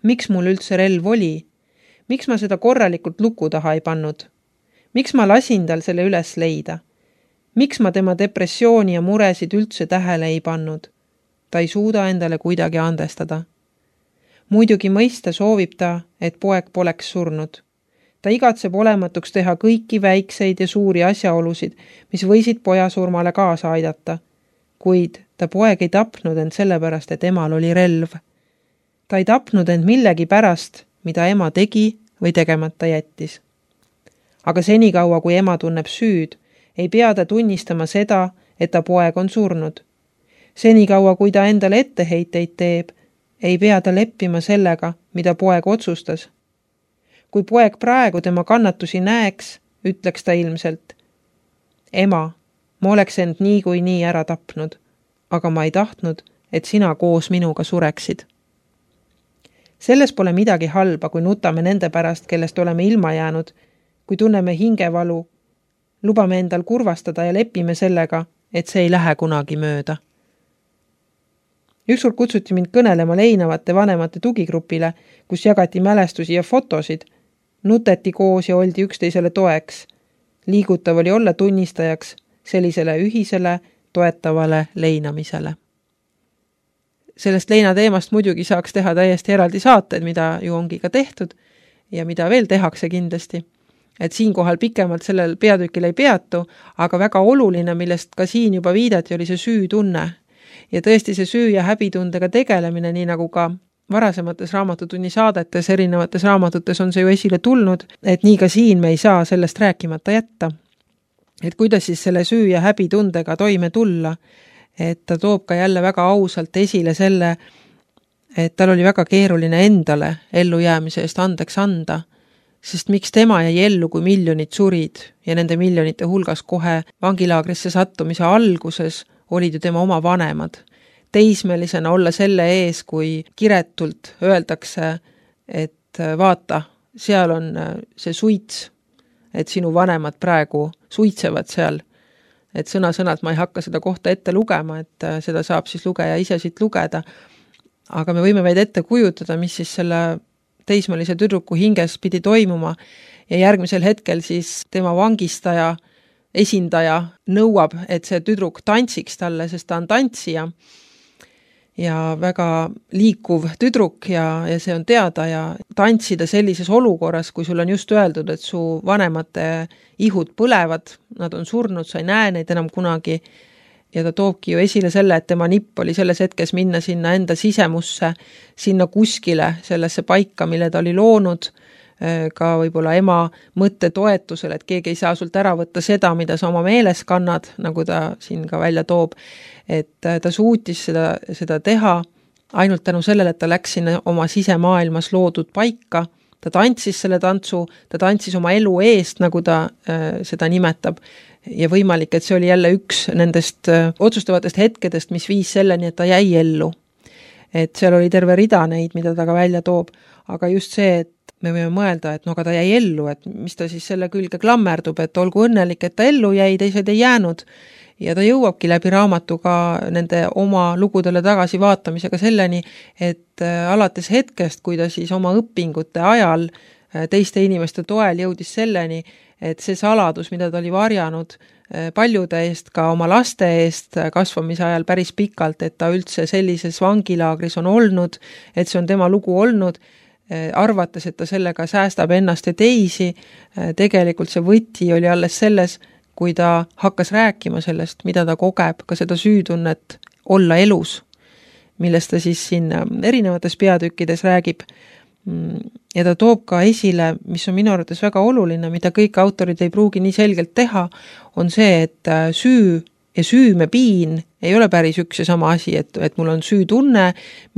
Miks mul üldse relv oli? Miks ma seda korralikult luku taha ei pannud? Miks ma lasin tal selle üles leida? Miks ma tema depressiooni ja muresid üldse tähele ei pannud? Ta ei suuda endale kuidagi andestada. Muidugi mõista soovib ta, et poeg poleks surnud. Ta igatseb olematuks teha kõiki väikseid ja suuri asjaolusid, mis võisid poja surmale kaasa aidata. Kuid ta poeg ei tapnud end sellepärast, et emal oli relv. Ta ei tapnud end millegi pärast, mida ema tegi või tegemata jättis. Aga senikaua, kui ema tunneb süüd, ei pea ta tunnistama seda, et ta poeg on surnud. Senikaua, kui ta endale etteheiteid teeb, ei pea ta leppima sellega, mida poeg otsustas. Kui poeg praegu tema kannatusi näeks, ütleks ta ilmselt, ema, ma oleks end nii kui nii ära tapnud, aga ma ei tahtnud, et sina koos minuga sureksid. Selles pole midagi halba, kui nutame nende pärast, kellest oleme ilma jäänud, kui tunneme hingevalu, lubame endal kurvastada ja lepime sellega, et see ei lähe kunagi mööda. Ükskord kutsuti mind kõnelema leinavate vanemate tugigrupile, kus jagati mälestusi ja fotosid, nuteti koos ja oldi üksteisele toeks. Liigutav oli olla tunnistajaks sellisele ühisele, toetavale leinamisele. Sellest leina teemast muidugi saaks teha täiesti eraldi saated, mida ju ongi ka tehtud ja mida veel tehakse kindlasti. Et siinkohal pikemalt sellel peatükil ei peatu, aga väga oluline, millest ka siin juba viidati, oli see süütunne. Ja tõesti see süü- ja häbitundega tegelemine, nii nagu ka varasemates raamatutunni saadetes, erinevates raamatutes on see ju esile tulnud, et nii ka siin me ei saa sellest rääkimata jätta. Et kuidas siis selle süü- ja häbitundega toime tulla, et ta toob ka jälle väga ausalt esile selle, et tal oli väga keeruline endale ellujäämise eest andeks anda, sest miks tema jäi ellu, kui miljonid surid ja nende miljonite hulgas kohe vangilaagrisse sattumise alguses olid ju tema oma vanemad. Teismelisena olla selle ees, kui kiretult öeldakse, et vaata, seal on see suits, et sinu vanemad praegu suitsevad seal. Et sõna-sõnalt ma ei hakka seda kohta ette lugema, et seda saab siis lugeja ise siit lugeda. Aga me võime vaid ette kujutada, mis siis selle teismelise tüdruku hinges pidi toimuma ja järgmisel hetkel siis tema vangistaja esindaja nõuab, et see tüdruk tantsiks talle, sest ta on tantsija. ja väga liikuv tüdruk ja, ja see on teada ja tantsida sellises olukorras, kui sul on just öeldud, et su vanemate ihud põlevad, nad on surnud, sa ei näe neid enam kunagi ja ta toobki ju esile selle, et tema nipp oli selles hetkes minna sinna enda sisemusse, sinna kuskile, sellesse paika, mille ta oli loonud, ka võib-olla ema mõtte toetusel, et keegi ei saa sult ära võtta seda, mida sa oma meeles kannad, nagu ta siin ka välja toob, et ta suutis seda, seda teha ainult tänu sellele, et ta läks sinna oma sisemaailmas loodud paika, ta tantsis selle tantsu, ta tantsis oma elu eest, nagu ta äh, seda nimetab, ja võimalik, et see oli jälle üks nendest äh, otsustavatest hetkedest, mis viis selleni, et ta jäi ellu. Et seal oli terve rida neid, mida ta ka välja toob, aga just see, et me võime mõelda, et no aga ta jäi ellu, et mis ta siis selle külge klammerdub, et olgu õnnelik, et ta ellu jäi, teised ei jäänud. Ja ta jõuabki läbi raamatu ka nende oma lugudele tagasi vaatamisega selleni, et alates hetkest, kui ta siis oma õpingute ajal teiste inimeste toel jõudis selleni, et see saladus, mida ta oli varjanud paljude eest, ka oma laste eest kasvamise ajal päris pikalt, et ta üldse sellises vangilaagris on olnud, et see on tema lugu olnud, arvates, et ta sellega säästab ennast ja teisi, tegelikult see võti oli alles selles, kui ta hakkas rääkima sellest, mida ta kogeb, ka seda süütunnet olla elus, millest ta siis siin erinevates peatükkides räägib. Ja ta toob ka esile, mis on minu arvates väga oluline, mida kõik autorid ei pruugi nii selgelt teha, on see, et süü ja süümepiin ei ole päris üks ja sama asi, et, et mul on süütunne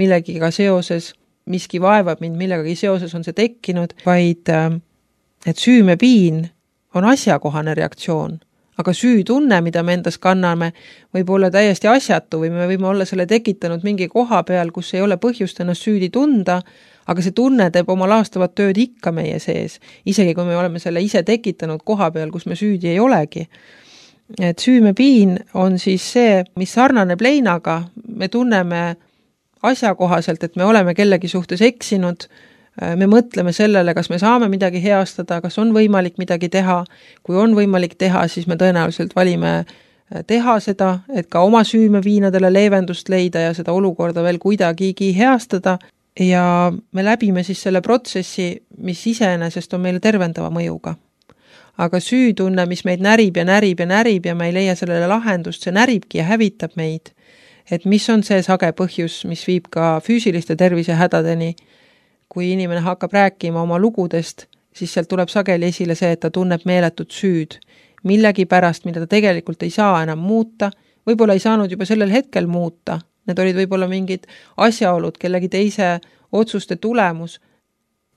millegiga seoses, miski vaevab mind, millegagi seoses on see tekkinud, vaid et süümepiin on asjakohane reaktsioon. Aga süütunne, mida me endas kanname, võib olla täiesti asjatu või me võime olla selle tekitanud mingi koha peal, kus ei ole põhjust ennast süüdi tunda, aga see tunne teeb oma laastavat tööd ikka meie sees, isegi kui me oleme selle ise tekitanud koha peal, kus me süüdi ei olegi. Et süümepiin on siis see, mis sarnaneb leinaga, me tunneme asjakohaselt, et me oleme kellegi suhtes eksinud, me mõtleme sellele, kas me saame midagi heastada, kas on võimalik midagi teha. Kui on võimalik teha, siis me tõenäoliselt valime teha seda, et ka oma süümepiinadele leevendust leida ja seda olukorda veel kuidagigi heastada. Ja me läbime siis selle protsessi, mis iseenesest on meile tervendava mõjuga. Aga süütunne, mis meid närib ja närib ja närib ja me ei leia sellele lahendust, see näribki ja hävitab meid. Et mis on see sage põhjus, mis viib ka füüsiliste tervise hädadeni. Kui inimene hakkab rääkima oma lugudest, siis sealt tuleb sageli esile see, et ta tunneb meeletut süüd. Millegi pärast, mida ta tegelikult ei saa enam muuta, võib-olla ei saanud juba sellel hetkel muuta. Need olid võib-olla mingid asjaolud, kellegi teise otsuste tulemus.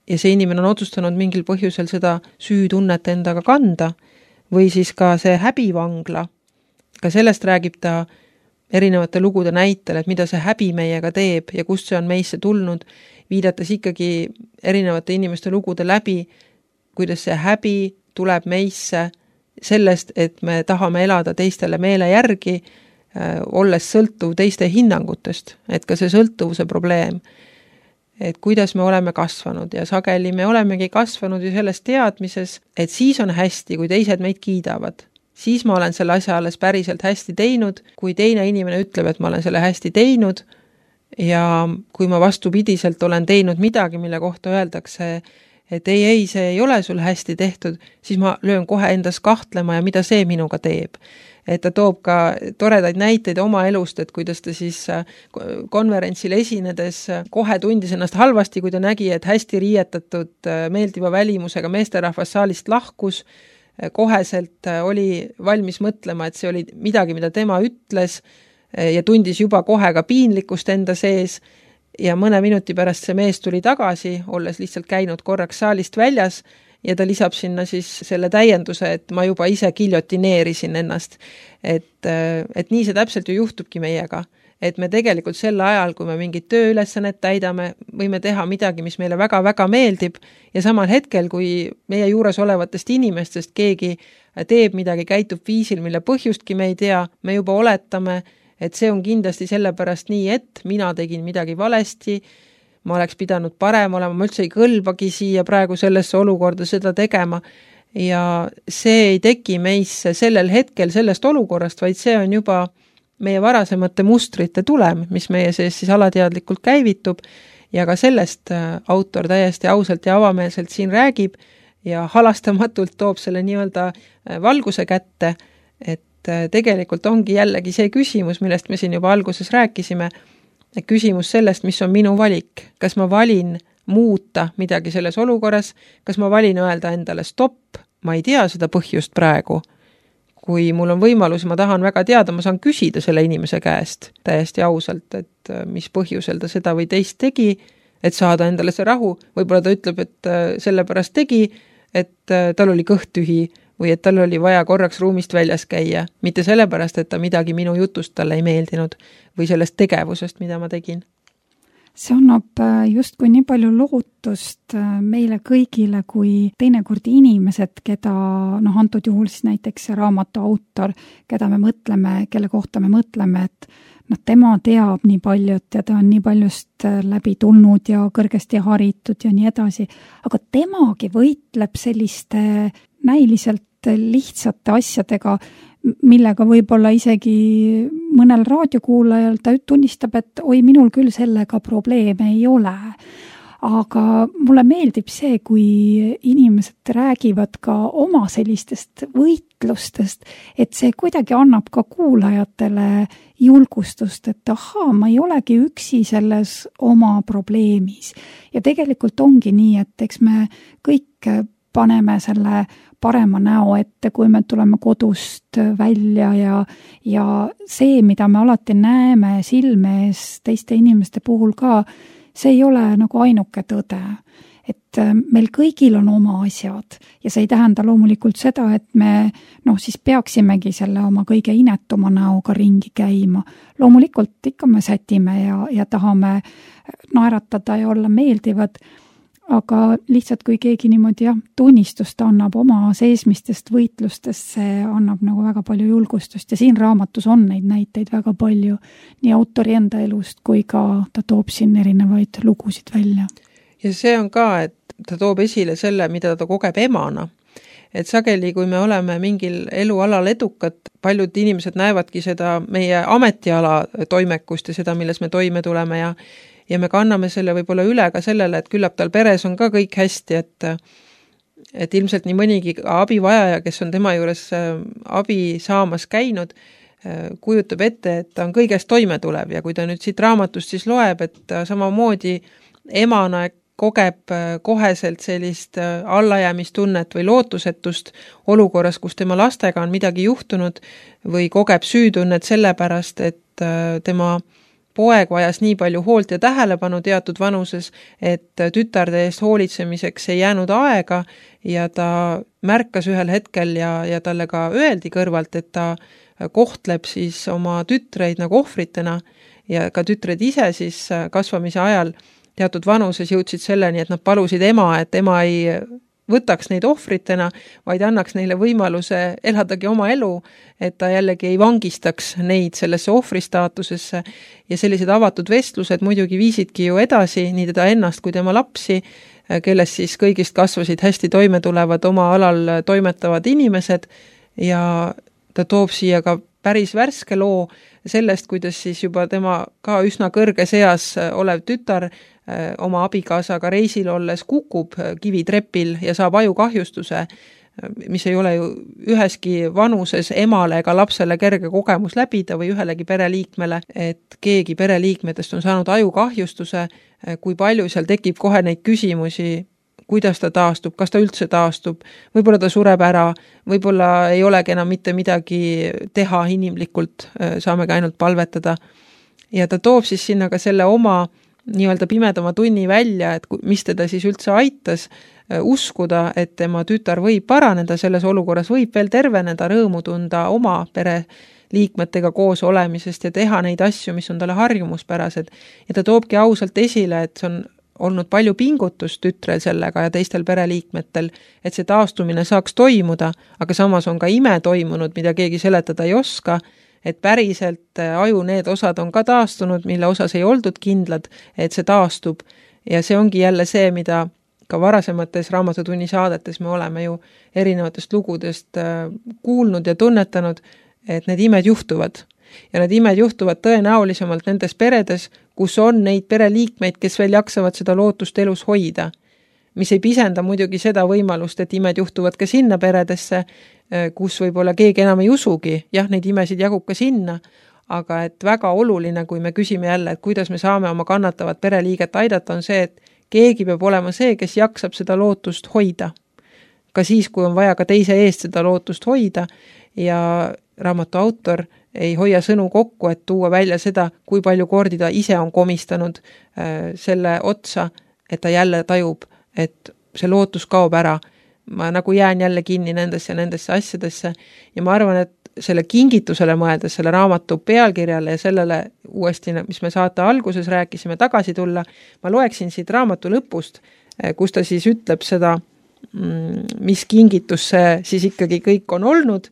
Ja see inimene on otsustanud mingil põhjusel seda süütunnet endaga kanda. Või siis ka see häbivangla. Ka sellest räägib ta erinevate lugude näitel, et mida see häbi meiega teeb ja kust see on meisse tulnud, viidates ikkagi erinevate inimeste lugude läbi, kuidas see häbi tuleb meisse sellest, et me tahame elada teistele meele järgi, äh, olles sõltuv teiste hinnangutest, et ka see sõltuvuse probleem, et kuidas me oleme kasvanud ja sageli me olemegi kasvanud ju selles teadmises, et siis on hästi, kui teised meid kiidavad. Siis ma olen selle asja alles päriselt hästi teinud, kui teine inimene ütleb, et ma olen selle hästi teinud ja kui ma vastupidiselt olen teinud midagi, mille kohta öeldakse, et ei, ei, see ei ole sul hästi tehtud, siis ma löön kohe endas kahtlema ja mida see minuga teeb. Et ta toob ka toredaid näiteid oma elust, et kuidas ta siis konverentsil esinedes kohe tundis ennast halvasti, kui ta nägi, et hästi riietatud meeldiva välimusega meesterahvas saalist lahkus, koheselt oli valmis mõtlema, et see oli midagi, mida tema ütles ja tundis juba kohe ka piinlikkust enda sees ja mõne minuti pärast see mees tuli tagasi, olles lihtsalt käinud korraks saalist väljas ja ta lisab sinna siis selle täienduse, et ma juba ise giljotineerisin ennast. Et, et nii see täpselt ju juhtubki meiega. Et me tegelikult sel ajal, kui me mingit tööülesannet täidame, võime teha midagi, mis meile väga-väga meeldib ja samal hetkel, kui meie juures olevatest inimestest keegi teeb midagi, käitub viisil, mille põhjustki me ei tea, me juba oletame, et see on kindlasti sellepärast nii, et mina tegin midagi valesti, ma oleks pidanud parem olema, ma üldse ei kõlbagi siia praegu sellesse olukorda seda tegema ja see ei teki meisse sellel hetkel sellest olukorrast, vaid see on juba meie varasemate mustrite tulem, mis meie sees siis alateadlikult käivitub ja ka sellest autor täiesti ausalt ja avameelselt siin räägib ja halastamatult toob selle nii-öelda valguse kätte, et tegelikult ongi jällegi see küsimus, millest me siin juba alguses rääkisime, küsimus sellest, mis on minu valik. Kas ma valin muuta midagi selles olukorras, kas ma valin öelda endale stopp, ma ei tea seda põhjust praegu. Kui mul on võimalus, ma tahan väga teada, ma saan küsida selle inimese käest täiesti ausalt, et mis põhjusel ta seda või teist tegi, et saada endale see rahu. Võib-olla ta ütleb, et sellepärast tegi, et tal oli kõht tühi või et tal oli vaja korraks ruumist väljas käia, mitte sellepärast, et ta midagi minu jutust talle ei meeldinud või sellest tegevusest, mida ma tegin. See annab justkui nii palju lootust meile kõigile, kui teinekord inimesed, keda, noh, antud juhul siis näiteks see raamatu autor, keda me mõtleme, kelle kohta me mõtleme, et noh, tema teab nii paljut ja ta on nii paljust läbi tulnud ja kõrgesti haritud ja nii edasi, aga temagi võitleb selliste näiliselt lihtsate asjadega, millega võib-olla isegi mõnel raadiokuulajal ta tunnistab, et oi, minul küll sellega probleeme ei ole. Aga mulle meeldib see, kui inimesed räägivad ka oma sellistest võitlustest, et see kuidagi annab ka kuulajatele julgustust, et ahaa, ma ei olegi üksi selles oma probleemis. Ja tegelikult ongi nii, et eks me kõik paneme selle parema näo ette, kui me tuleme kodust välja ja, ja see, mida me alati näeme silme ees teiste inimeste puhul ka, see ei ole nagu ainuke tõde. Et meil kõigil on oma asjad ja see ei tähenda loomulikult seda, et me noh, siis peaksimegi selle oma kõige inetuma näoga ringi käima. Loomulikult ikka me sätime ja, ja tahame naeratada ja olla meeldivad, aga lihtsalt kui keegi niimoodi jah, tunnistust annab oma seesmistest võitlustest, see annab nagu väga palju julgustust ja siin raamatus on neid näiteid väga palju nii autori enda elust kui ka ta toob siin erinevaid lugusid välja. Ja see on ka, et ta toob esile selle, mida ta kogeb emana. Et sageli, kui me oleme mingil elualal edukad, paljud inimesed näevadki seda meie ametiala toimekust ja seda, milles me toime tuleme ja ja me kanname selle võib-olla üle ka sellele, et küllap tal peres on ka kõik hästi, et, et ilmselt nii mõnigi abivajaja, kes on tema juures abi saamas käinud, kujutab ette, et ta on kõigest toime tulev ja kui ta nüüd siit raamatust siis loeb, et samamoodi emana kogeb koheselt sellist allajäämistunnet või lootusetust olukorras, kus tema lastega on midagi juhtunud või kogeb süütunnet sellepärast, et tema poeg vajas nii palju hoolt ja tähelepanu teatud vanuses, et tütarde eest hoolitsemiseks ei jäänud aega ja ta märkas ühel hetkel ja, ja talle ka öeldi kõrvalt, et ta kohtleb siis oma tütreid nagu ohvritena ja ka tütred ise siis kasvamise ajal teatud vanuses jõudsid selleni, et nad palusid ema, et ema ei võtaks neid ohvritena, vaid annaks neile võimaluse eladagi oma elu, et ta jällegi ei vangistaks neid sellesse ohvristaatusesse ja sellised avatud vestlused muidugi viisidki ju edasi nii teda ennast kui tema lapsi, kellest siis kõigist kasvasid hästi toime tulevad oma alal toimetavad inimesed ja ta toob siia ka päris värske loo sellest, kuidas siis juba tema ka üsna kõrge seas olev tütar oma abikaasaga reisil olles kukub kivitrepil ja saab ajukahjustuse, mis ei ole ju üheski vanuses emale ega lapsele kerge kogemus läbida või ühelegi pereliikmele, et keegi pereliikmetest on saanud ajukahjustuse, kui palju seal tekib kohe neid küsimusi, kuidas ta taastub, kas ta üldse taastub, võib-olla ta sureb ära, võib-olla ei olegi enam mitte midagi teha inimlikult, saamegi ainult palvetada. Ja ta toob siis sinna ka selle oma nii-öelda pimedama tunni välja, et mis teda siis üldse aitas uskuda, et tema tütar võib paraneda selles olukorras, võib veel terveneda, rõõmu tunda oma pere liikmetega koos olemisest ja teha neid asju, mis on talle harjumuspärased. Ja ta toobki ausalt esile, et see on olnud palju pingutust tütrel sellega ja teistel pereliikmetel, et see taastumine saaks toimuda, aga samas on ka ime toimunud, mida keegi seletada ei oska, et päriselt aju need osad on ka taastunud, mille osas ei oldud kindlad, et see taastub. Ja see ongi jälle see, mida ka varasemates raamatutunni saadetes me oleme ju erinevatest lugudest kuulnud ja tunnetanud, et need imed juhtuvad. Ja need imed juhtuvad tõenäolisemalt nendes peredes, kus on neid pereliikmeid, kes veel jaksavad seda lootust elus hoida. Mis ei pisenda muidugi seda võimalust, et imed juhtuvad ka sinna peredesse, kus võib-olla keegi enam ei usugi. Jah, neid imesid jagub ka sinna, aga et väga oluline, kui me küsime jälle, et kuidas me saame oma kannatavat pereliiget aidata, on see, et keegi peab olema see, kes jaksab seda lootust hoida. Ka siis, kui on vaja ka teise eest seda lootust hoida ja raamatu autor ei hoia sõnu kokku, et tuua välja seda, kui palju kordi ta ise on komistanud äh, selle otsa, et ta jälle tajub, et see lootus kaob ära. Ma nagu jään jälle kinni nendesse ja nendesse asjadesse ja ma arvan, et selle kingitusele mõeldes, selle raamatu pealkirjale ja sellele uuesti, mis me saate alguses rääkisime, tagasi tulla, ma loeksin siit raamatu lõpust, kus ta siis ütleb seda, mis kingitus see siis ikkagi kõik on olnud,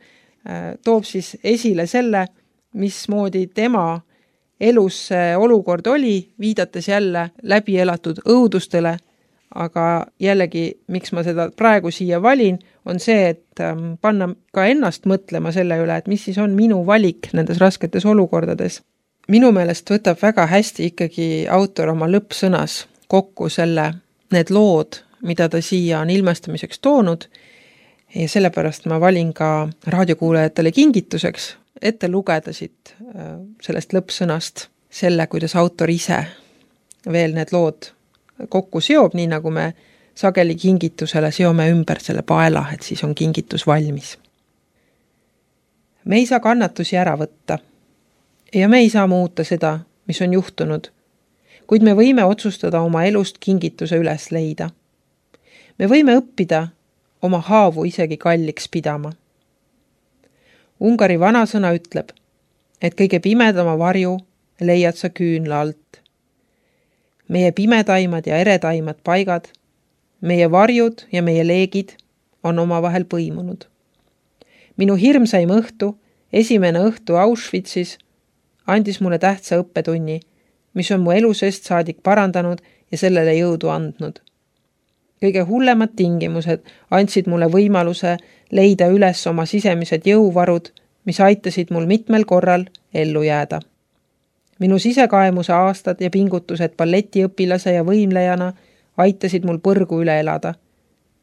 toob siis esile selle, mismoodi tema elus see olukord oli, viidates jälle läbi elatud õudustele, aga jällegi, miks ma seda praegu siia valin, on see, et panna ka ennast mõtlema selle üle, et mis siis on minu valik nendes rasketes olukordades. Minu meelest võtab väga hästi ikkagi autor oma lõppsõnas kokku selle, need lood, mida ta siia on ilmestamiseks toonud ja sellepärast ma valin ka raadiokuulajatele kingituseks ette lugeda siit sellest lõppsõnast selle, kuidas autor ise veel need lood kokku seob, nii nagu me sageli kingitusele seome ümber selle paela, et siis on kingitus valmis. Me ei saa kannatusi ära võtta ja me ei saa muuta seda, mis on juhtunud, kuid me võime otsustada oma elust kingituse üles leida. Me võime õppida oma haavu isegi kalliks pidama. Ungari vanasõna ütleb, et kõige pimedama varju leiad sa küünla alt. Meie pimedaimad ja eredaimad paigad, meie varjud ja meie leegid on omavahel põimunud. Minu hirmsaim õhtu, esimene õhtu Auschwitzis, andis mulle tähtsa õppetunni, mis on mu elusest saadik parandanud ja sellele jõudu andnud. Kõige hullemad tingimused andsid mulle võimaluse leida üles oma sisemised jõuvarud, mis aitasid mul mitmel korral ellu jääda. Minu sisekaemuse aastad ja pingutused balletiõpilase ja võimlejana aitasid mul põrgu üle elada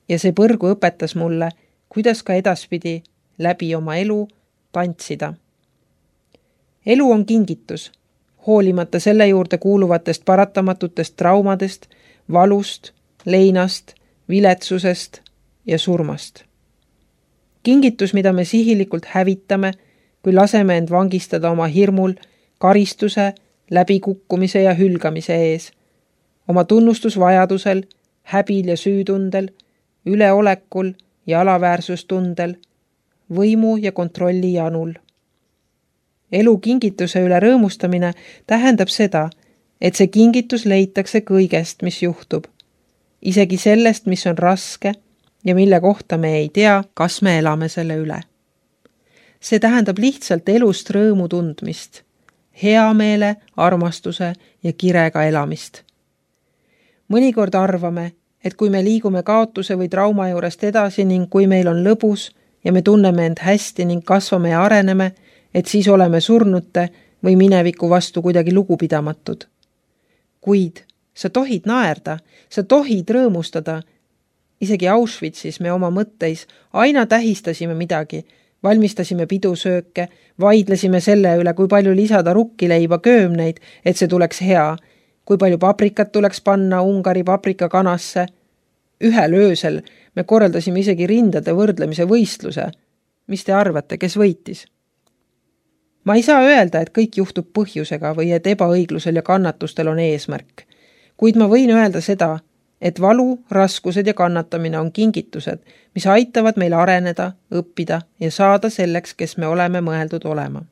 ja see põrgu õpetas mulle, kuidas ka edaspidi läbi oma elu tantsida. Elu on kingitus, hoolimata selle juurde kuuluvatest paratamatutest traumadest, valust, leinast, viletsusest ja surmast. Kingitus, mida me sihilikult hävitame, kui laseme end vangistada oma hirmul, karistuse, läbikukkumise ja hülgamise ees, oma tunnustusvajadusel, häbil ja süütundel, üleolekul ja alaväärsustundel, võimu ja kontrolli janul. Elu kingituse üle rõõmustamine tähendab seda, et see kingitus leitakse kõigest, mis juhtub, isegi sellest, mis on raske ja mille kohta me ei tea, kas me elame selle üle. See tähendab lihtsalt elust rõõmu tundmist, hea meele, armastuse ja kirega elamist. Mõnikord arvame, et kui me liigume kaotuse või trauma juurest edasi ning kui meil on lõbus ja me tunneme end hästi ning kasvame ja areneme, et siis oleme surnute või mineviku vastu kuidagi lugupidamatud. Kuid sa tohid naerda, sa tohid rõõmustada. Isegi Auschwitzis me oma mõtteis aina tähistasime midagi, valmistasime pidusööke, vaidlesime selle üle, kui palju lisada rukkileiba köömneid, et see tuleks hea, kui palju paprikat tuleks panna Ungari paprikakanasse. Ühel öösel me korraldasime isegi rindade võrdlemise võistluse. Mis te arvate, kes võitis? Ma ei saa öelda, et kõik juhtub põhjusega või et ebaõiglusel ja kannatustel on eesmärk, kuid ma võin öelda seda, et valu, raskused ja kannatamine on kingitused, mis aitavad meil areneda, õppida ja saada selleks, kes me oleme mõeldud olema.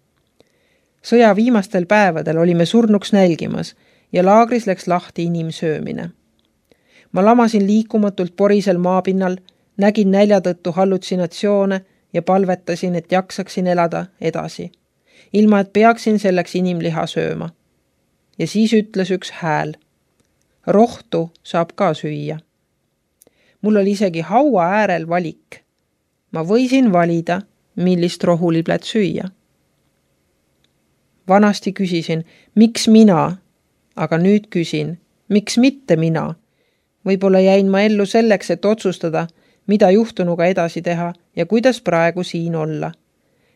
Sõja viimastel päevadel olime surnuks nälgimas ja laagris läks lahti inimsöömine. Ma lamasin liikumatult porisel maapinnal, nägin nälja tõttu hallutsinatsioone ja palvetasin, et jaksaksin elada edasi, ilma et peaksin selleks inimliha sööma. Ja siis ütles üks hääl. Rohtu saab ka süüa. Mul oli isegi haua äärel valik. Ma võisin valida, millist rohuliblet süüa. Vanasti küsisin, miks mina, aga nüüd küsin, miks mitte mina? Võib-olla jäin ma ellu selleks, et otsustada, mida juhtunuga edasi teha ja kuidas praegu siin olla.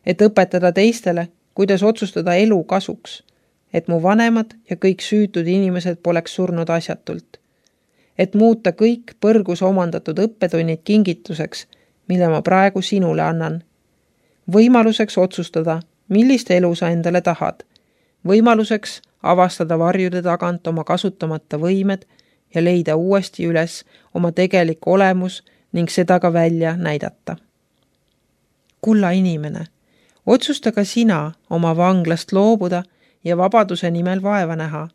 Et õpetada teistele, kuidas otsustada elu kasuks, et mu vanemad ja kõik süütud inimesed poleks surnud asjatult. Et muuta kõik põrgus omandatud õppetunnid kingituseks, mille ma praegu sinule annan. Võimaluseks otsustada, millist elu sa endale tahad. Võimaluseks avastada varjude tagant oma kasutamata võimed ja leida uuesti üles oma tegelik olemus ning seda ka välja näidata. Kulla inimene, otsusta ka sina oma vanglast loobuda ja vabaduse nimel vaeva näha.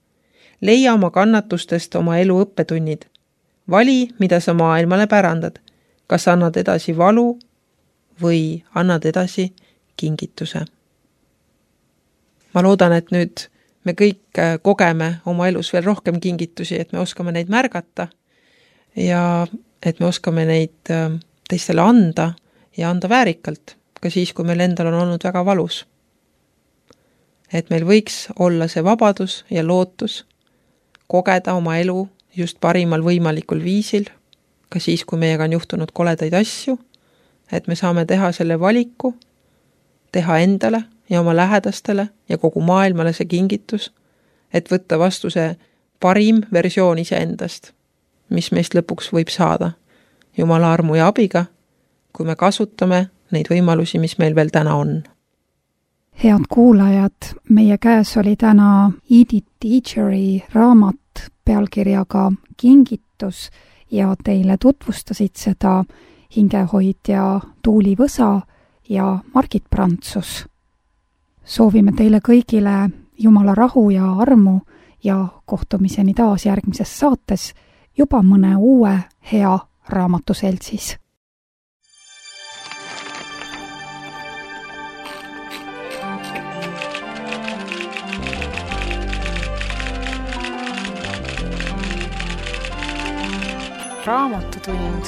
Leia oma kannatustest oma elu õppetunnid. Vali, mida sa maailmale pärandad. Kas annad edasi valu või annad edasi kingituse. Ma loodan, et nüüd me kõik kogeme oma elus veel rohkem kingitusi, et me oskame neid märgata ja et me oskame neid teistele anda ja anda väärikalt, ka siis, kui meil endal on olnud väga valus. Et meil võiks olla see vabadus ja lootus kogeda oma elu just parimal võimalikul viisil, ka siis, kui meiega on juhtunud koledaid asju, et me saame teha selle valiku, teha endale ja oma lähedastele ja kogu maailmale see kingitus, et võtta vastu see parim versioon iseendast, mis meist lõpuks võib saada Jumala armu ja abiga, kui me kasutame neid võimalusi, mis meil veel täna on. Head kuulajad, meie käes oli täna Edith Teacheri raamat pealkirjaga Kingitus ja teile tutvustasid seda hingehoidja Tuuli Võsa ja Margit Prantsus. Soovime teile kõigile Jumala rahu ja armu ja kohtumiseni taas järgmises saates juba mõne uue hea raamatuseltsis. Raamatutund.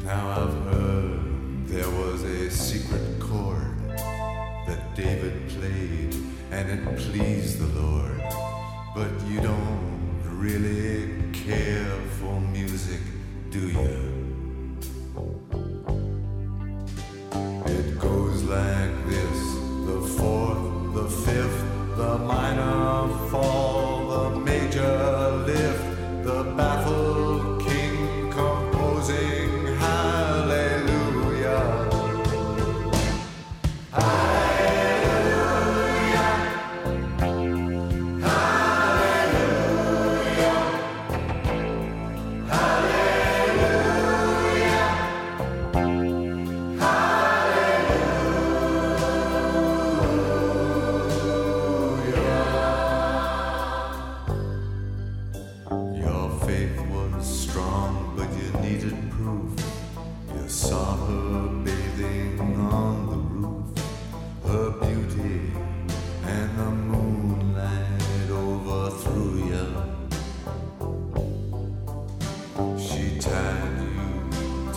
Now I've heard there was a secret chord that David played and it pleased the Lord. But you don't really care for music, do you? It goes like this, the fourth, the fifth, the minor fall, the major lift, the baffled king composing hallelujah. Hallelujah. Hallelujah. Hallelujah. Your faith was strong, but you needed proof. You saw her bathing on the roof, her beauty and the moonlight overthrew you. She tied you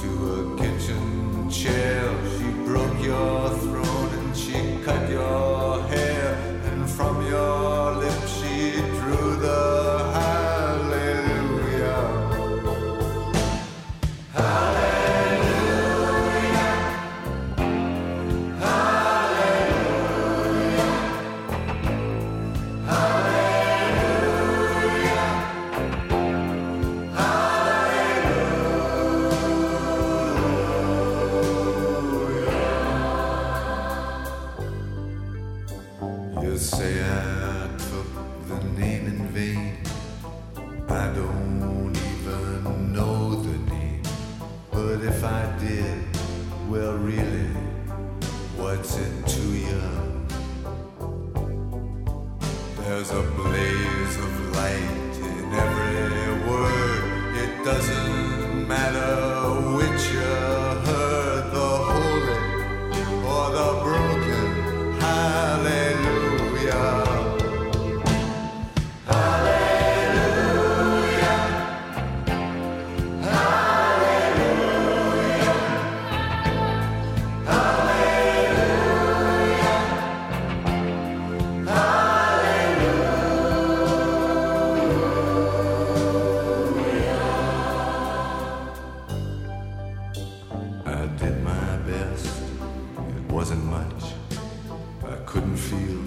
to a kitchen chair, she broke your throne and she cut your hair, and from your lips she drew the hallelujah. Hallelujah. Hallelujah. Hallelujah. Hallelujah. You say I took the name in vain. I don't even know the name. But if I did, well really, what's it to you? There's a blaze of light in every word. It doesn't matter which you heard, the holy or the broken. Hallelujah. Hallelujah. Hallelujah. couldn't feel,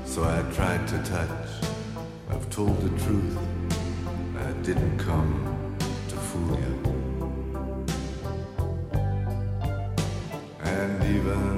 so I tried to touch. I've told the truth, I didn't come to fool you. And even